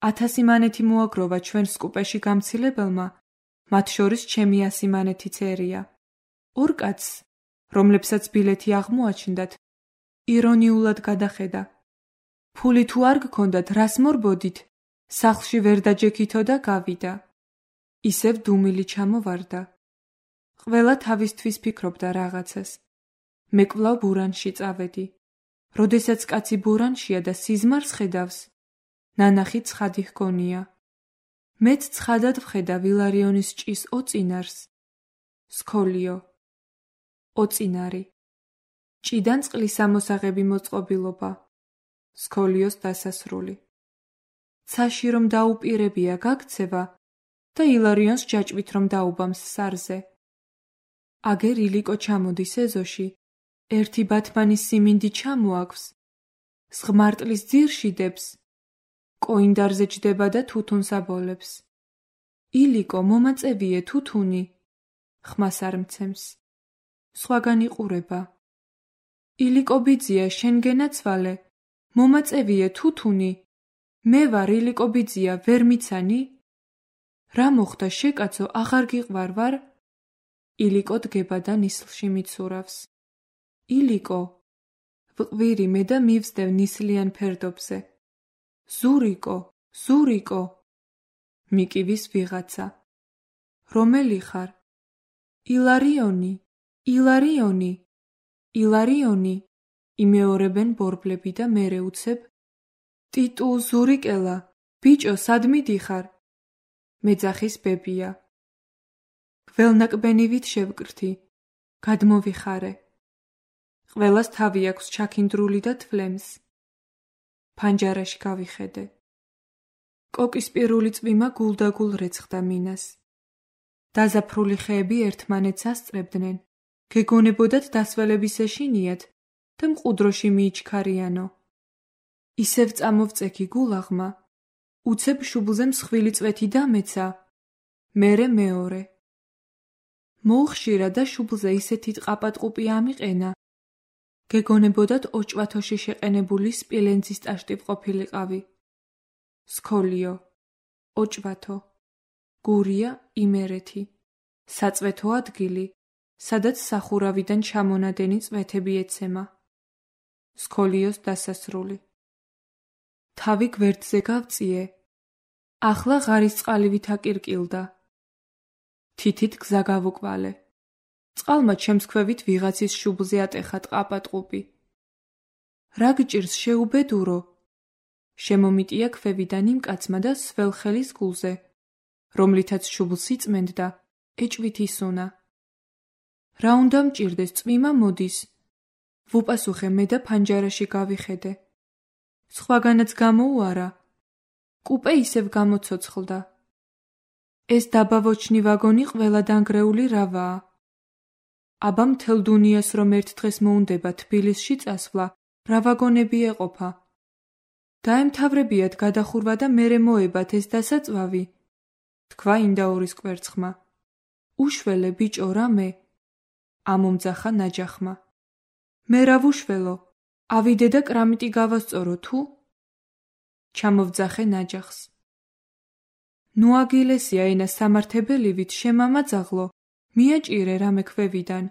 100 მანეთი მოაგროვა ჩვენს კუპეში გამცილებელმა, მათ შორის ჩემი 100 მანეთიც ერია. ორ კაცს, რომლებსაც ბილეთი აღმოაჩნდათ, ირონიულად გადახედა. ფული თუ არ გქონდათ, რას მორბოდით? სახლში ვერ დაჯექითო და გავიდა. ისევ დუმილი ჩამოვარდა. ყველა თავისთვის ფიქრობდა რაღაცას. მე კვლავ ბურანში წავედი. როდესაც კაცი ბურანშია და სიზმარს ხედავს, ნანახი ცხადი ჰგონია. მეც ცხადად ვხედა ვილარიონის ჭის ოწინარს. სქოლიო. ოწინარი. ჭიდან წყლის ამოსაღები მოწყობილობა. სქოლიოს დასასრული. ცაში რომ დაუპირებია გაქცევა და ილარიონს ჯაჭვით რომ დაუბამს სარზე. აგერ ილიკო ჩამოდის ეზოში, ერთი ბათმანის სიმინდი ჩამოაქვს, სღმარტლის ძირში დებს, კოინდარზე ჯდება და თუთუნს აბოლებს. ილიკო მომაწევიე თუთუნი, ხმას არ მცემს. სხვაგან იყურება. ილიკო ბიძია შენ გენაცვალე, მომაწევიე თუთუნი, მე ვარ ილიკო ბიძია ვერ მიცანი? რა მოხდა შეკაცო აღარ გიყვარ ვარ? ილიკო დგება და ნისლში მიცურავს. ილიკო, ვყვირი მე და მივსდევ ნისლიან ფერდობზე. ზურიკო, ზურიკო. მიკივის ვიღაცა. რომელი ხარ? ილარიონი, ილარიონი, ილარიონი. იმეორებენ ბორბლები და მერე უცებ. ტიტუ, ზურიკელა, ბიჭო, სად მიდიხარ? მეძახის ბებია. გველნაკბენივით შევკრთი, გადმოვიხარე. ყველას თავი აქვს ჩაქინდრული და თვლემს. ფანჯარაში გავიხედე. კოკის პირული წვიმა გულდაგულ რეცხდა მინას. დაზაფრული ხეები ერთმანეთს ასწრებდნენ, გეგონებოდათ დასველების ეშინიათ და მყუდროში მიიჩქარიანო. ისევ წამოვწექი გულაღმა, უცებ შუბლზე მსხვილი წვეთი დამეცა, მერე მეორე. მოუხშირა და შუბლზე ისეთი ტყაპატყუპი ამიყენა, გეგონებოდათ ოჭვათოში შეყენებული სპილენძის ტაშტი ვყოფილიყავი. სქოლიო, ოჭვათო, გურია, იმერეთი, საწვეთო ადგილი, სადაც სახურავიდან ჩამონადენი წვეთები ეცემა. სქოლიოს დასასრული. თავი გვერდზე გავწიე. ახლა ღარის წყალივით აკირკილდა. თითით გზა გავუკვალე. წყალმა ჩემს ქვევით ვიღაცის შუბლზე ატეხა ტყაპატყუპი. რა გჭირს შეუბედურო? შემომიტია ქვევიდან იმ კაცმა და სველ ხელის გულზე, რომლითაც შუბლს იწმენდა, ეჭვით ისუნა. რა უნდა მჭირდეს, წვიმა მოდის. ვუპასუხე მე და ფანჯარაში გავიხედე. სხვაგანაც გამოუარა. კუპე ისევ გამოცოცხლდა. ეს დაბავოჩნი ვაგონი ყველა დანგრეული რავაა. აბა მთელ დუნიას რომ ერთ დღეს მოუნდება თბილისში წასვლა, რა ვაგონები ეყოფა. დაემთავრებიათ გადახურვა და მერე მოებათ ეს დასაწვავი. თქვა ინდაურის კვერცხმა. უშველე ბიჭო რამე? ამომძახა ნაჯახმა. მე რა ვუშველო? ავიდე და კრამიტი გავასწორო თუ? ჩამოვძახე ნაჯახს. ნუ აგილესია ენა სამართებელივით შემამაძაღლო, მიაჭირე რამე ქვევიდან.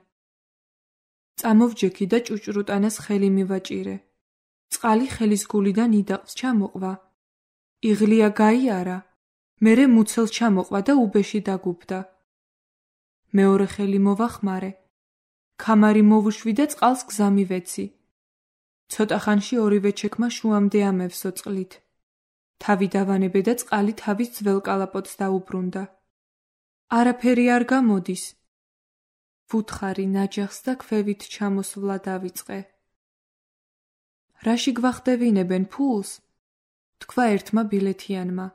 წამოვჯექი და ჭუჭრუტანას ხელი მივაჭირე. წყალი ხელის გულიდან იდაყს ჩამოყვა. იღლია გაიარა, მერე მუცელს ჩამოყვა და უბეში დაგუბდა. მეორე ხელი მოვახმარე. ქამარი მოვუშვი და წყალს გზა მივეცი. ცოტა ხანში ორივე ჩექმა შუამდე ამევსო წყლით. თავი დავანებე და წყალი თავის ძველ კალაპოტს დაუბრუნდა. არაფერი არ გამოდის. ვუთხარი ნაჯახს და ქვევით ჩამოსვლა დავიწყე. რაში გვახდევინებენ ფულს? თქვა ერთმა ბილეთიანმა.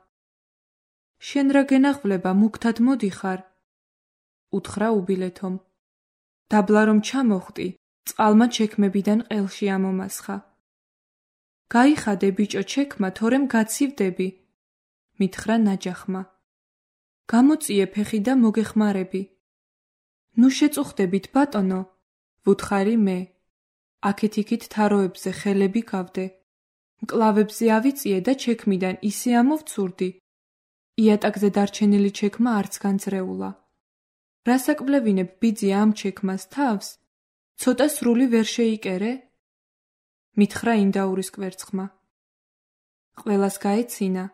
შენ რა გენახვლება, მუქთად მოდიხარ? უთხრა უბილეთომ. დაბლა რომ ჩამოხტი, წყალმა ჩექმებიდან ყელში ამომასხა. გაიხადე ბიჭო ჩექმა, თორემ გაცივდები, მითხრა ნაჯახმა. გამოწიე ფეხი და მოგეხმარები. ნუ შეწუხდებით ბატონო, ვუთხარი მე. აქეთ-იქით თაროებზე ხელები გავდე. მკლავებზე ავიწიე და ჩექმიდან ისე ამოვცურდი. იატაკზე დარჩენილი ჩექმა არც განძრეულა. რასაკვლევინებ ბიძი ამ ჩექმას თავს? ცოტა სრული ვერ შეიკერე? მითხრა ინდაურის კვერცხმა. ყველას გაეცინა.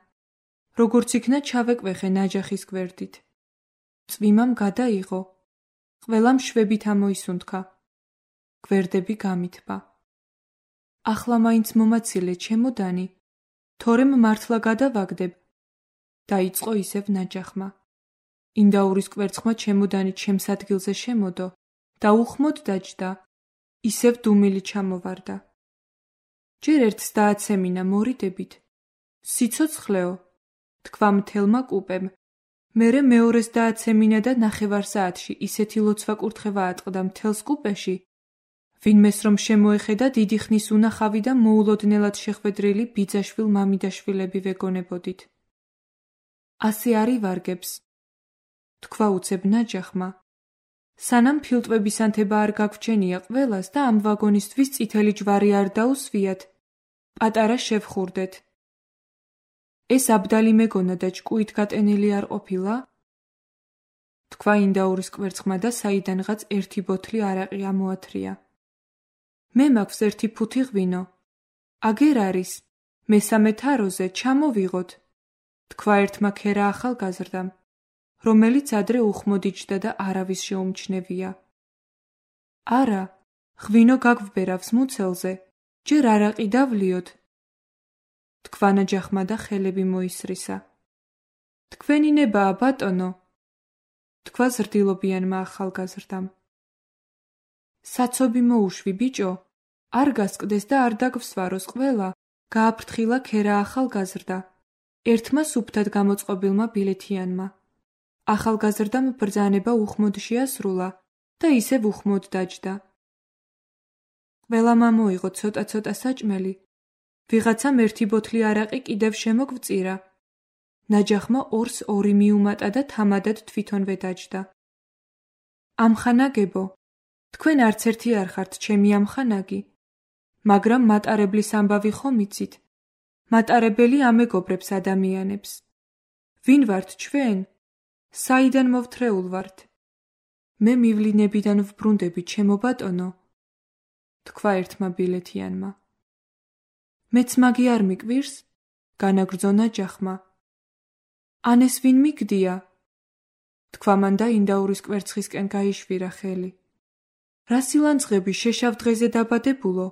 როგორც იქნა ჩავეკვეხე ნაჯახის გვერდით. წვიმამ გადაიღო. ყველამ შვებით ამოისუნთქა. გვერდები გამითბა. ახლა მაინც მომაცილე ჩემოდანი, თორემ მართლა გადავაგდებ. დაიწყო ისევ ნაჯახმა. ინდაურის კვერცხმა ჩემოდანი ჩემს ადგილზე შემოდო და უხმოდ დაჯდა. ისევ დუმილი ჩამოვარდა. ჯერ ერთს დააცემინა მორიდებით. სიცოცხლეო, თქვა მთელმა კუპემ. მერე მეორეს დააცემინა და 9 საათში ისეთი ლოცვა კურთხევა ატყდა მთელს კუპეში, ვინმეს რომ შემოეხედა დიდი ხნის უნახავი და მოულოდნელად შეხვედრილი ბიძაშვილ მამიდაშვილები ვეგონებოდით. ასე არივარგებს, თქვა უცებ ნაჯახმა. სანამ ფილტვების ანთება არ გაგვჩენია ყველას და ამ ვაგონისთვის წითელი ჯვარი არ დაუსვიათ, პატარა შევხურდეთ. ეს აბდალი მეგონა და ჭკუით გატენილი არ ყოფილა? თქვა ინდაურის კვერცხმა და საიდანღაც ერთი ბოთლი არაყი ამოათრია. მე მაქვს ერთი ფუთი ღვინო. აგერ არის, მესამე თაროზე ჩამოვიღოთ, თქვა ერთმა ქერა ახალგაზრდამ, რომელიც ადრე უხმოდ იჯდა და არავის შეუმჩნევია. არა, ღვინო გაგვბერავს მუცელზე, ჯერ არაყი დავლიოთ, თქვა ნაჯახმა და ხელები მოისრისა. თქვენი ნებაა ბატონო, თქვა ზრდილობიანმა ახალგაზრდამ. საცობი მოუშვი ბიჭო, არ გასკდეს და არ დაგვსვაროს ყველა, გააფრთხილა ქერა ახალგაზრდა, ერთმა სუფთად გამოწყობილმა ბილეთიანმა. ახალგაზრდამ ბრძანება უხმოდ შეასრულა და ისევ უხმოდ დაჯდა. ყველამ ამოიღო ცოტა-ცოტა საჭმელი, ვიღაცამ ერთი ბოთლი არაყი კიდევ შემოგვწირა. ნაჯახმა 2-2 მიუმატა და თამადად თვითონვე დაჯდა. ამხანაგებო, თქვენ არც ერთი არ ხართ ჩემი ამხანაგი, მაგრამ მატარებლის ამბავი ხომ იცით? მატარებელი ამეგობრებს ადამიანებს. ვინ ვართ ჩვენ? საიდან მოვთრეულ ვართ? მე მივლინებიდან ვბრუნდები ჩემო ბატონო, თქვა ერთმა ბილეთიანმა. მეც მაგი არ მიკვირს? განაგრძო ნაჯახმა. ან ეს ვინ მიგდია? თქვა მან და ინდაურის კვერცხისკენ გაიშვირა ხელი. რა სილანძღები შეშავ დღეზე დაბადებულო?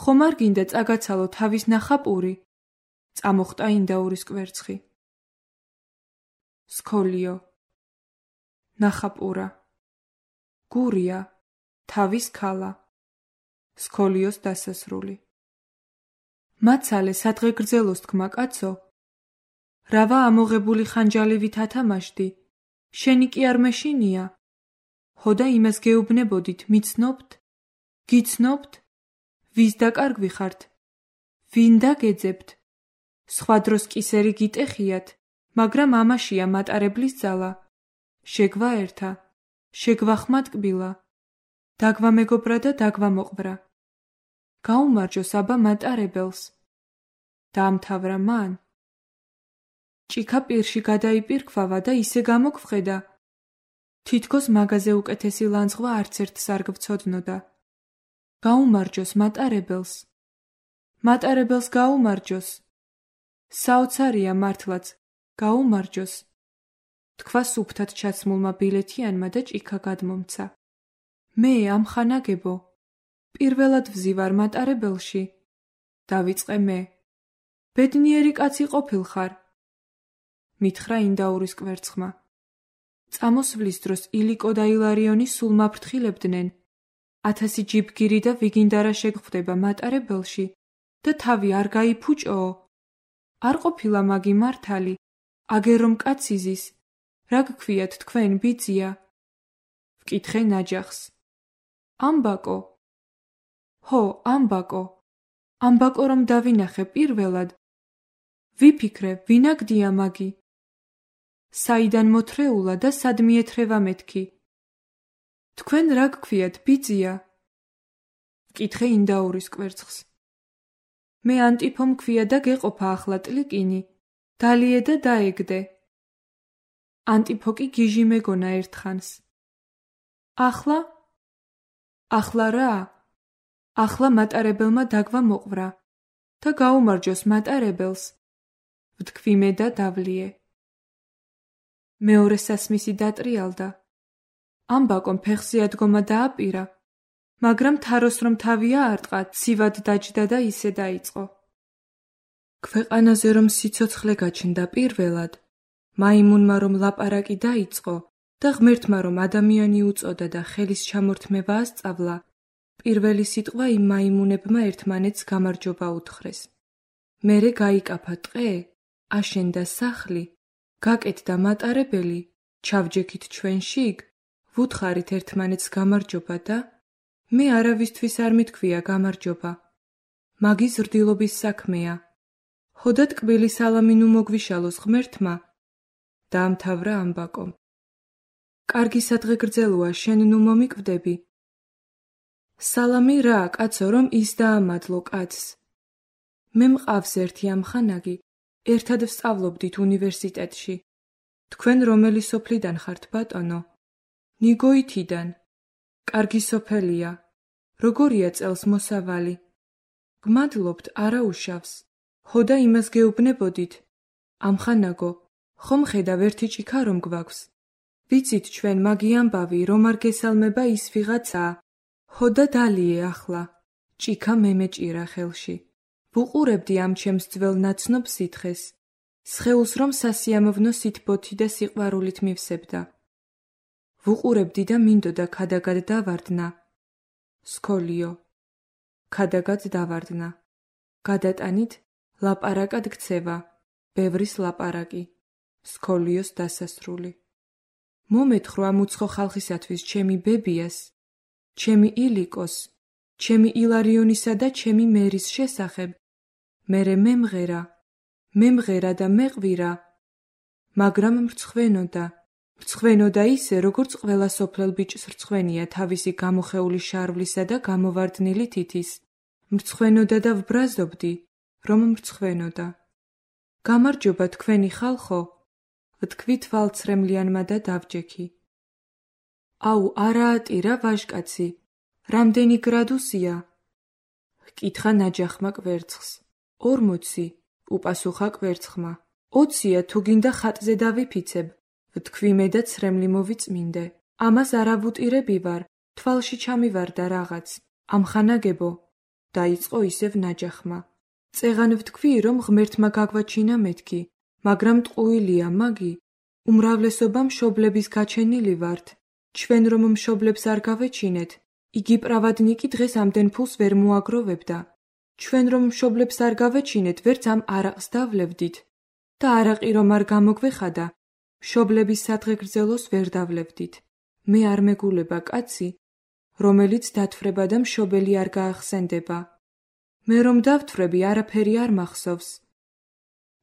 ხომ არ გინდა წაგაცალო თავის ნახაპური? წამოხტა ინდაურის კვერცხი. სქოლიო, ნახაპურა, გურია, თავის ქალა, სქოლიოს დასასრული. მაცალე სადღე გრძელოს თქმა კაცო, რავა ამოღებული ხანჯალივით ათამაშდი, შენი კი არ მეშინია? ჰოდა იმას გეუბნებოდით, მიცნობთ? გიცნობთ? ვის დაკარგვი ხართ? ვინ დაგეძებთ? სხვა დროს კისერი გიტეხიათ, მაგრამ ამაშია მატარებლის ძალა. შეგვაერთა, შეგვახმატკბილა, დაგვამეგობრა და დაგვამოყვრა. გაუმარჯოს აბა მატარებელს. დაამთავრა მან. ჭიქა პირში გადაიპირქვავა და ისე გამოგვხედა. თითქოს მაგაზე უკეთესი ლანძღვა არც ერთს არ გვცოდნოდა. გაუმარჯოს მატარებელს. მატარებელს გაუმარჯოს. საოცარია მართლაც, გაუმარჯოს, თქვა სუფთად ჩაცმულმა ბილეთიანმა და ჭიქა გადმომცა. მე ამხანაგებო, პირველად ვზივარ მატარებელში. დავიწყე მე. ბედნიერი კაცი ყოფილხარ, მითხრა ინდაურის კვერცხმა. წამოსვლის დროს ილიკო და ილარიონი სულ მაფრთხილებდნენ. 1000 ჯიბგირი და ვიგინდარა შეგხვდება მატარებელში და თავი არ გაიფუჭოო. არ ყოფილა მაგი მართალი, აგერ რომ კაცი ზის, რა გქვიათ თქვენ ბიძია? ვკითხე ნაჯახს. ამბაკო. ჰო, ამბაკო. ამბაკო რომ დავინახე პირველად. ვიფიქრე, ვინაგდია მაგი? საიდან მოთრეულა და სად მიეთრევა მეთქი? თქვენ რა გქვიათ ბიძია? ვკითხე ინდაურის კვერცხს. მე ანტიფომ ქვია და გეყოფა ახლა ტლიკინი. დალიე და დაეგდე. ანტიფო კი გიჟი მეგონა ერთხანს. ახლა? ახლა რა? ახლა მატარებელმა დაგვა მოყვრა და გაუმარჯოს მატარებელს. ვთქვი მე და დავლიე. მეორე სასმისი დატრიალდა. ამბაკომ ფეხზე ადგომა დააპირა, მაგრამ თაროს რომ თავი აარტყა, ცივად დაჯდა და ისე დაიწყო. ქვეყანაზე რომ სიცოცხლე გაჩნდა პირველად, მაიმუნმა რომ ლაპარაკი დაიწყო და ღმერთმა რომ ადამიანი უწოდა და ხელის ჩამორთმევა ასწავლა, პირველი სიტყვა იმ მაიმუნებმა ერთმანეთს გამარჯობა უთხრეს. მერე გაიკაფა ტყე, აშენდა სახლი, გაკეთდა მატარებელი, ჩავჯექით ჩვენ შიგ, ვუთხარით ერთმანეთს გამარჯობა და მე არავისთვის არ მithქვია გამარჯობა. მაგის ზრდილობის საქმეა. ხოდა ტკბილი სალამი ნუ მოგვიშალოს ღმერთმა. დაამთავრა ამბაკომ. კარგი სადღე გრძელოა, შენ ნუ მომიკვდები. სალამი რა, კაცო, რომ ის დაამადლო კაცს. მე მყავს ერთი ამხანაგი, ერთად ვსწავლობდით უნივერსიტეტში. თქვენ რომელი სოფლიდან ხართ, ბატონო? ნიგოითიდან. კარგი სოფელია. როგორია წელს მოსავალი? გმადლობთ, არა უშავს. ხოდა იმას გეუბნებოდით. ამხანაგო, ხომ ხედავ ერთი ჭიქა რომ გვაქვს. ვიცით ჩვენ მაგი ამბავი, რომ არ გესალმება ის ვიღაცაა. ხოდა დალიე ახლა. ჭიქა მე მეჭირა ხელში. ვუყურებდი ამ ჩემს ძველ ნაცნობ სითხეს. სხეულს რომ სასიამოვნო სითბოთი და სიყვარულით მივსებდა. ვუყურებდი და მინდოდა ქადაგად დავარდნა. სქოლიო. ქადაგად დავარდნა. გადატანით, ლაპარაკად გცევა, ბევრის ლაპარაკი. სქოლიოს დასასრული. მომეთხრო ამ უცხო ხალხისათვის ჩემი ბებიას, ჩემი ილიკოს, ჩემი ილარიონისა და ჩემი მერის შესახებ. მერე მემღერა და მეყვირა, მაგრამ მრცხვენოდა ისე, როგორც ყველა სოფლელ ბიჭს რცხვენია თავისი გამოხეული შარვლისა და გამოვარდნილი თითის. მრცხვენოდა და ვბრაზობდი, რომ მრცხვენოდა. გამარჯობა თქვენი ხალხო, ვთქვი თვალცრემლიანმა და დავჯექი. აუ, არაატირა ვაჟკაცი, რამდენი გრადუსია? ჰკითხა ნაჯახმა კვერცხს. 40, უპასუხა კვერცხმა. 20-ია თუ გინდა ხატზე დავიფიცებ, ვთქვი მე და ცრემლი მოვიწმინდე. ამას არავუტირები ვარ, თვალში ჩამივარდა რაღაც. ამხანაგებო, დაიწყო ისევ ნაჯახმა. წეღან ვთქვი, რომ ღმერთმა გაგვაჩინა მეთქი, მაგრამ ტყუილია მაგი, უმრავლესობა მშობლების გაჩენილი ვართ. ჩვენ რომ მშობლებს არ გავეჩინეთ, იგი პრავადნიკი დღეს ამდენ ფულს ვერ მოაგროვებდა. ჩვენ რომ მშობლებს არ გავეჩინეთ, ვერც ამ არაყს დავლევდით. და არაყი რომ არ გამოგვეხადა, მშობლების სადღე გრძელოს ვერ დავლევდით. მე არ მეგულება კაცი, რომელიც დათვრება და მშობელი არ გაახსენდება. მე რომ დავთვრები, არაფერი არ მახსოვს.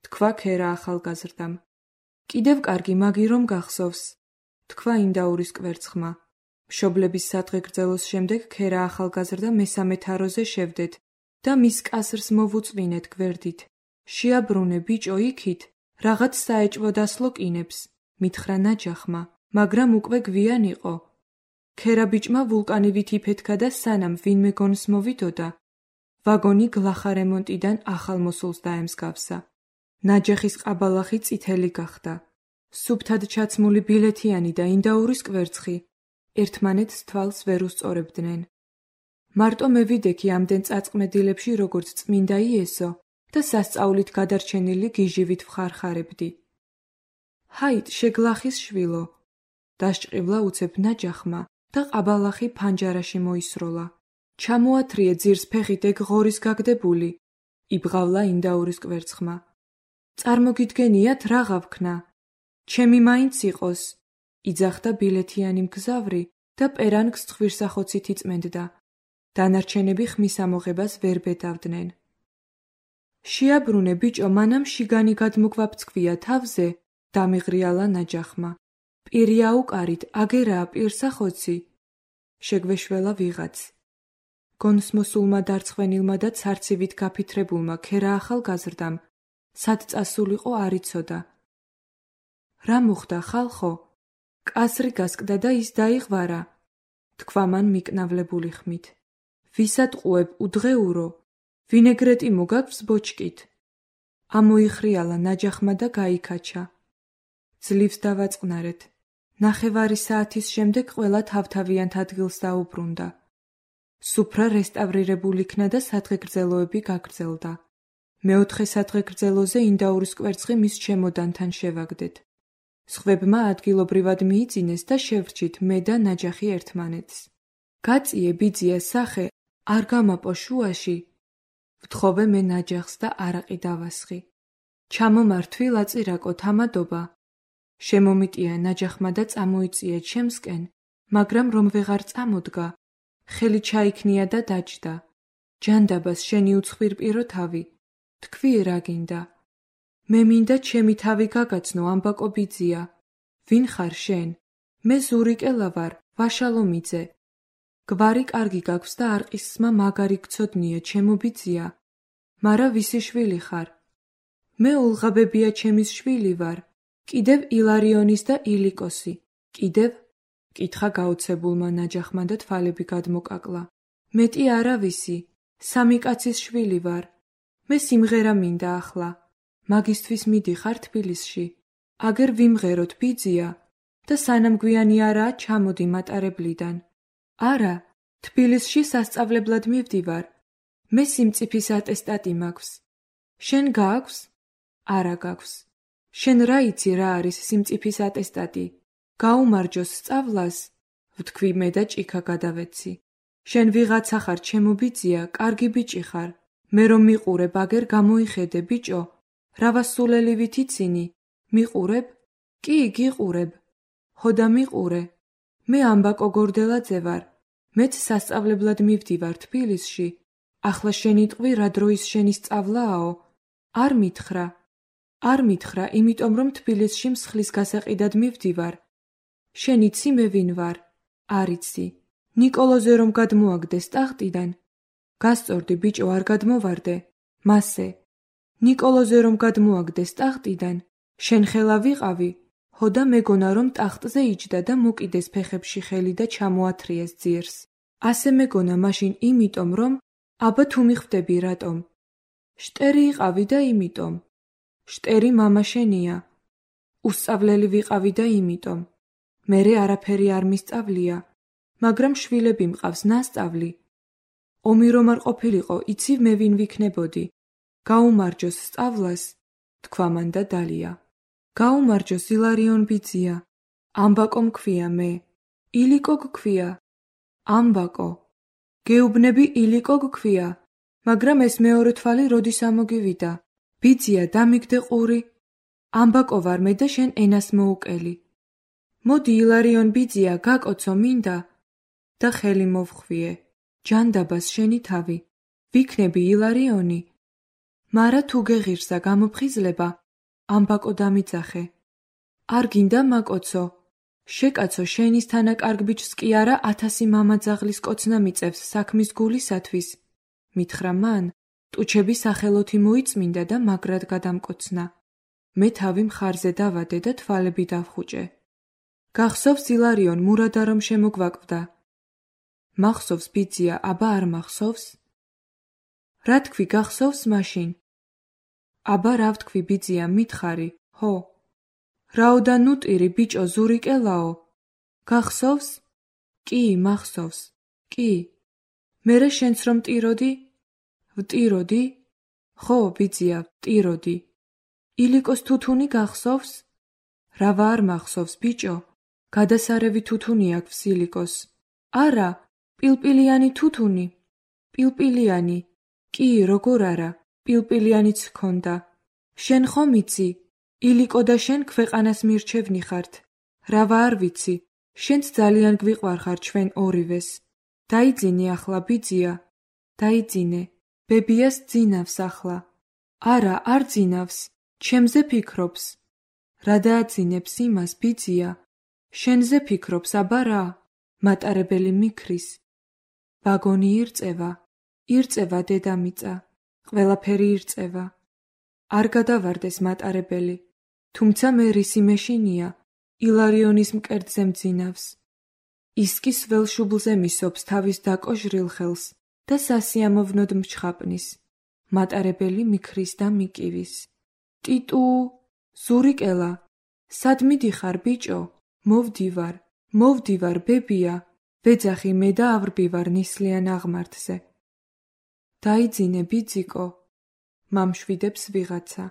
თქვა ქერა ახალგაზრდამ. კიდევ კარგი მაგი რომ გახსოვს, თქვა ინდაურის კვერცხმა. მშობლების სადღე გრძელოს შემდეგ ქერა ახალგაზრდა მესამე თაროზე შევდეთ და მის კასრს მოვუწვინეთ გვერდით. შეაბრუნე ბიჭო იქით, რაღაც საეჭვო დასლო კინებს, მითხრა ნაჯახმა, მაგრამ უკვე გვიან იყო. ქერა ბიჭმა ვულკანივით იფეთქა და სანამ ვინმე გონს მოვიდოდა, ვაგონი გლახა რემონტიდან ახალ მოსულს დაემსგავსა. ნაჯახის ყაბალახი წითელი გახდა. სუფთად ჩაცმული ბილეთიანი და ინდაურის კვერცხი ერთმანეთს თვალს ვერ უსწორებდნენ. მარტო მე ვიდექი ამდენ წაწყმედილებში როგორც წმინდა იესო და სასწაულით გადარჩენილი გიჟივით ვხარხარებდი. ჰაით, შეგლახის შვილო, დასჭყივლა უცებ ნაჯახმა და ყაბალახი ფანჯარაში მოისროლა. ჩამოათრიე ძირს ფეხით ეგ ღორის გაგდებული, იბღავლა ინდაურის კვერცხმა. წარმოგიდგენიათ რაღა ვქნა, ჩემი მაინც იყოს, იძახდა ბილეთიანი მგზავრი და პერანგს ცხვირსახოცით იწმენდდა. დანარჩენები ხმის ამოღებას ვერ ბედავდნენ. შეაბრუნე ბიჭო, მანამ შიგანი გადმოგვაფცქვია თავზე, დამიღრიალა ნაჯახმა. პირი აუკარით, აგერაა პირსახოცი. შეგვეშველა ვიღაც. გონსმოსულმა დარცხვენილმა და ცარცივით გაფითრებულმა ქერა ახალგაზრდამ, სად წასულიყო არ იცოდა. რა მოხდა, ხალხო? კასრი გასკდა და ის დაიღვარა, თქვა მან მიკნავლებული ხმით. ვისად ყუებ უდღეურო, ვინეგრეტი მოგაქვს ბოჭკით. ამოიხრიალა ნაჯახმა და გაიქაჩა. ძლივს დავაწყნარეთ. ნახევარი საათის შემდეგ ყველა თავთავიანთ ადგილს დაუბრუნდა. სუფრა რესტავრირებული იქნა და სადღეგრძელოები გაგრძელდა. მეოთხე სადღეგრძელოზე ინდაურის კვერცხი მის ჩემოდანთან შევაგდეთ. სხვებმა ადგილობრივად მიიწინეს და შევრჩით მე და ნაჯახი ერთმანეთს. გაწიე ბიძიას სახე, არ გამაპო შუაში. ვთხოვე მე ნაჯახს და არაყი დავასხი. ჩამომართვი ლაწირაკო თამადობა. შემომიტია ნაჯახმა და წამოიწია ჩემსკენ, მაგრამ რომ ვეღარ წამოდგა, ხელი ჩაიქნია და დაჯდა. ჯანდაბას შენი უცხვირპირო თავი, თქვი რა გინდა. მე მინდა ჩემი თავი გაგაცნო ამბაკო ბიძია. ვინ ხარ შენ? მე ზურიკელა ვარ, ვაშალომიძე. გვარი კარგი გაქვს და არყისმა მაგარი გცოდნია ჩემო ბიძია. მარა ვისი შვილი ხარ? მე ულღაბებია ჩემის შვილი ვარ. კიდევ ილარიონის და ილიკოსი. კიდევ? კითხა გაოცებულმა ნაჯახმა და თვალები გადმოკაკლა. მეტი არავისი, სამი კაცის შვილი ვარ. მე სიმღერა მინდა ახლა. მაგისთვის მიდიხარ თბილისში. აგერ ვიმღეროთ ბიძია და სანამ გვიანი არაა ჩამოდი მატარებლიდან. არა, თბილისში სასწავლებლად მივდივარ. მე სიმწიფის ატესტატი მაქვს. შენ გააქვს? არა გაქვს. შენ რა იცი რა არის სიმწიფის ატესტატი? გაუმარჯოს სწავლას? ვთქვი მე და ჭიქა გადავეცი. შენ ვიღაცა ხარ ჩემო ბიძია, კარგი ბიჭი ხარ. მე რომ მიყურებ აგერ გამოიხედე ბიჭო. რავასულელი ვითიცინი, მიყურებ? კი, გიყურებ. ხოდა მიყურე. მე ამბაკო გორდელაძე ვარ. მეც სასწავლებლად მივდივარ თბილისში. ახლა შენ იტყვი რა დროის შენი სწავლააო? არ მითხრა. არ მითხრა, იმიტომ რომ თბილისში მსხლის გასაყიდად მივდივარ. შენ იცი მე ვინ ვარ? არ იცი. ნიკოლოზე რომ გადმოაგდეს ტახტიდან. გასწორდი ბიჭო, არ გადმოვარდე. მასე. ნიკოლოზე რომ გადმოაგდეს ტახტიდან, შენ ხელა ვიყავი, ხოდა მეგონა რომ ტახტზე იჯდა და მოკიდეს ფეხებში ხელი და ჩამოათრიეს ძიერს. ასე მეგონა მაშინ იმიტომ რომ, აბა თუ მიხვდები რატომ? შტერი იყავი და იმიტომ. შტერი მამა შენია. უსწავლელი ვიყავი და იმიტომ. მერე არაფერი არ მისწავლია, მაგრამ შვილები მყავს ნასწავლი. ომი რომ არ ყოფილიყო, იცი მე ვინ ვიქნებოდი. გაუმარჯოს სწავლას, თქვა მან და დალია. გაუმარჯოს ილარიონ ბიძია. ამბაკო მქვია მე. ილიკო გქვია. ამბაკო. გეუბნები ილიკო გქვია, მაგრამ ეს მეორე თვალი როდის ამოგივიდა? ბიძია დამიგდე ყური. ამბაკო ვარ მე და შენ ენას მოუკელი. მოდი ილარიონ ბიძია, გაკოცო მინდა. და ხელი მოვხვიე. ჯანდაბას შენი თავი. ვიქნები ილარიონი. მარა თუ გეღირსა გამოფხიზლება, ამბაკო დამიძახე. არ გინდა მაკოცო. შეკაცო შენის თანაკარგ ბიჭს კი არა 1000 მამაძაღლის კოცნა მიწევს საქმის გულისათვის. მითხრა მან, ტუჩები სახელოთი მოიწმინდა და მაგრად გადამკოცნა. მე თავი მხარზე დავადე და თვალები დავხუჭე. გახსოვს ილარიონ მურადა რომ შემოგვაკვდა. მახსოვს ბიძია, აბა არ მახსოვს? რა თქვი გახსოვს მაშინ? აბა რა ვთქვი ბიძია, მითხარი, ხო? რაოდა ნუტირი ბიჭო ზურიკელაო? გახსოვს? კი, მახსოვს. კი. მერე შენც რომ ტიროდი? ვტიროდი? ხო, ბიძია, ვტიროდი. ილიკოს თუთუნი გახსოვს? რავა არ მახსოვს ბიჭო? გადასარევი თუთუნი აქვს ილიკოს. არა, პილპილიანი თუთუნი. პილპილიანი. კი, როგორ არა, პილპილიანიც ჰქონდა. შენ ხომ იცი? ილიკო და შენ ქვეყანას მირჩევნი ხართ. რავა არ ვიცი, შენც ძალიან გვიყვარხარ ჩვენ ორივეს. დაიძინე ახლა ბიძია. დაიძინე. ბებიას ძინავს ახლა. არა, არ ძინავს, ჩემზე ფიქრობს. რა დააძინებს იმას ბიძია? შენზე ფიქრობს, აბა რა? მატარებელი მიქრის. ვაგონი ირწევა დედამიწა, ყველაფერი ირწევა. არ გადავარდეს მატარებელი, თუმცა მე რისი მეშინია, ილარიონის მკერდზე მძინავს. ის კი სველ შუბლზე მისობს თავის დაკოჟრილ ხელს და სასიამოვნოდ მჩხაპნის. მატარებელი მიქრის და მიკივის. ტიტუ, ზურიკელა, სად მიდიხარ, ბიჭო? მოვდივარ, ბებია, ვეძახი მე და ავრბივარ ნისლიან აღმართზე. დაიძინე, ბიძიკო, მამშვიდებს ვიღაცა.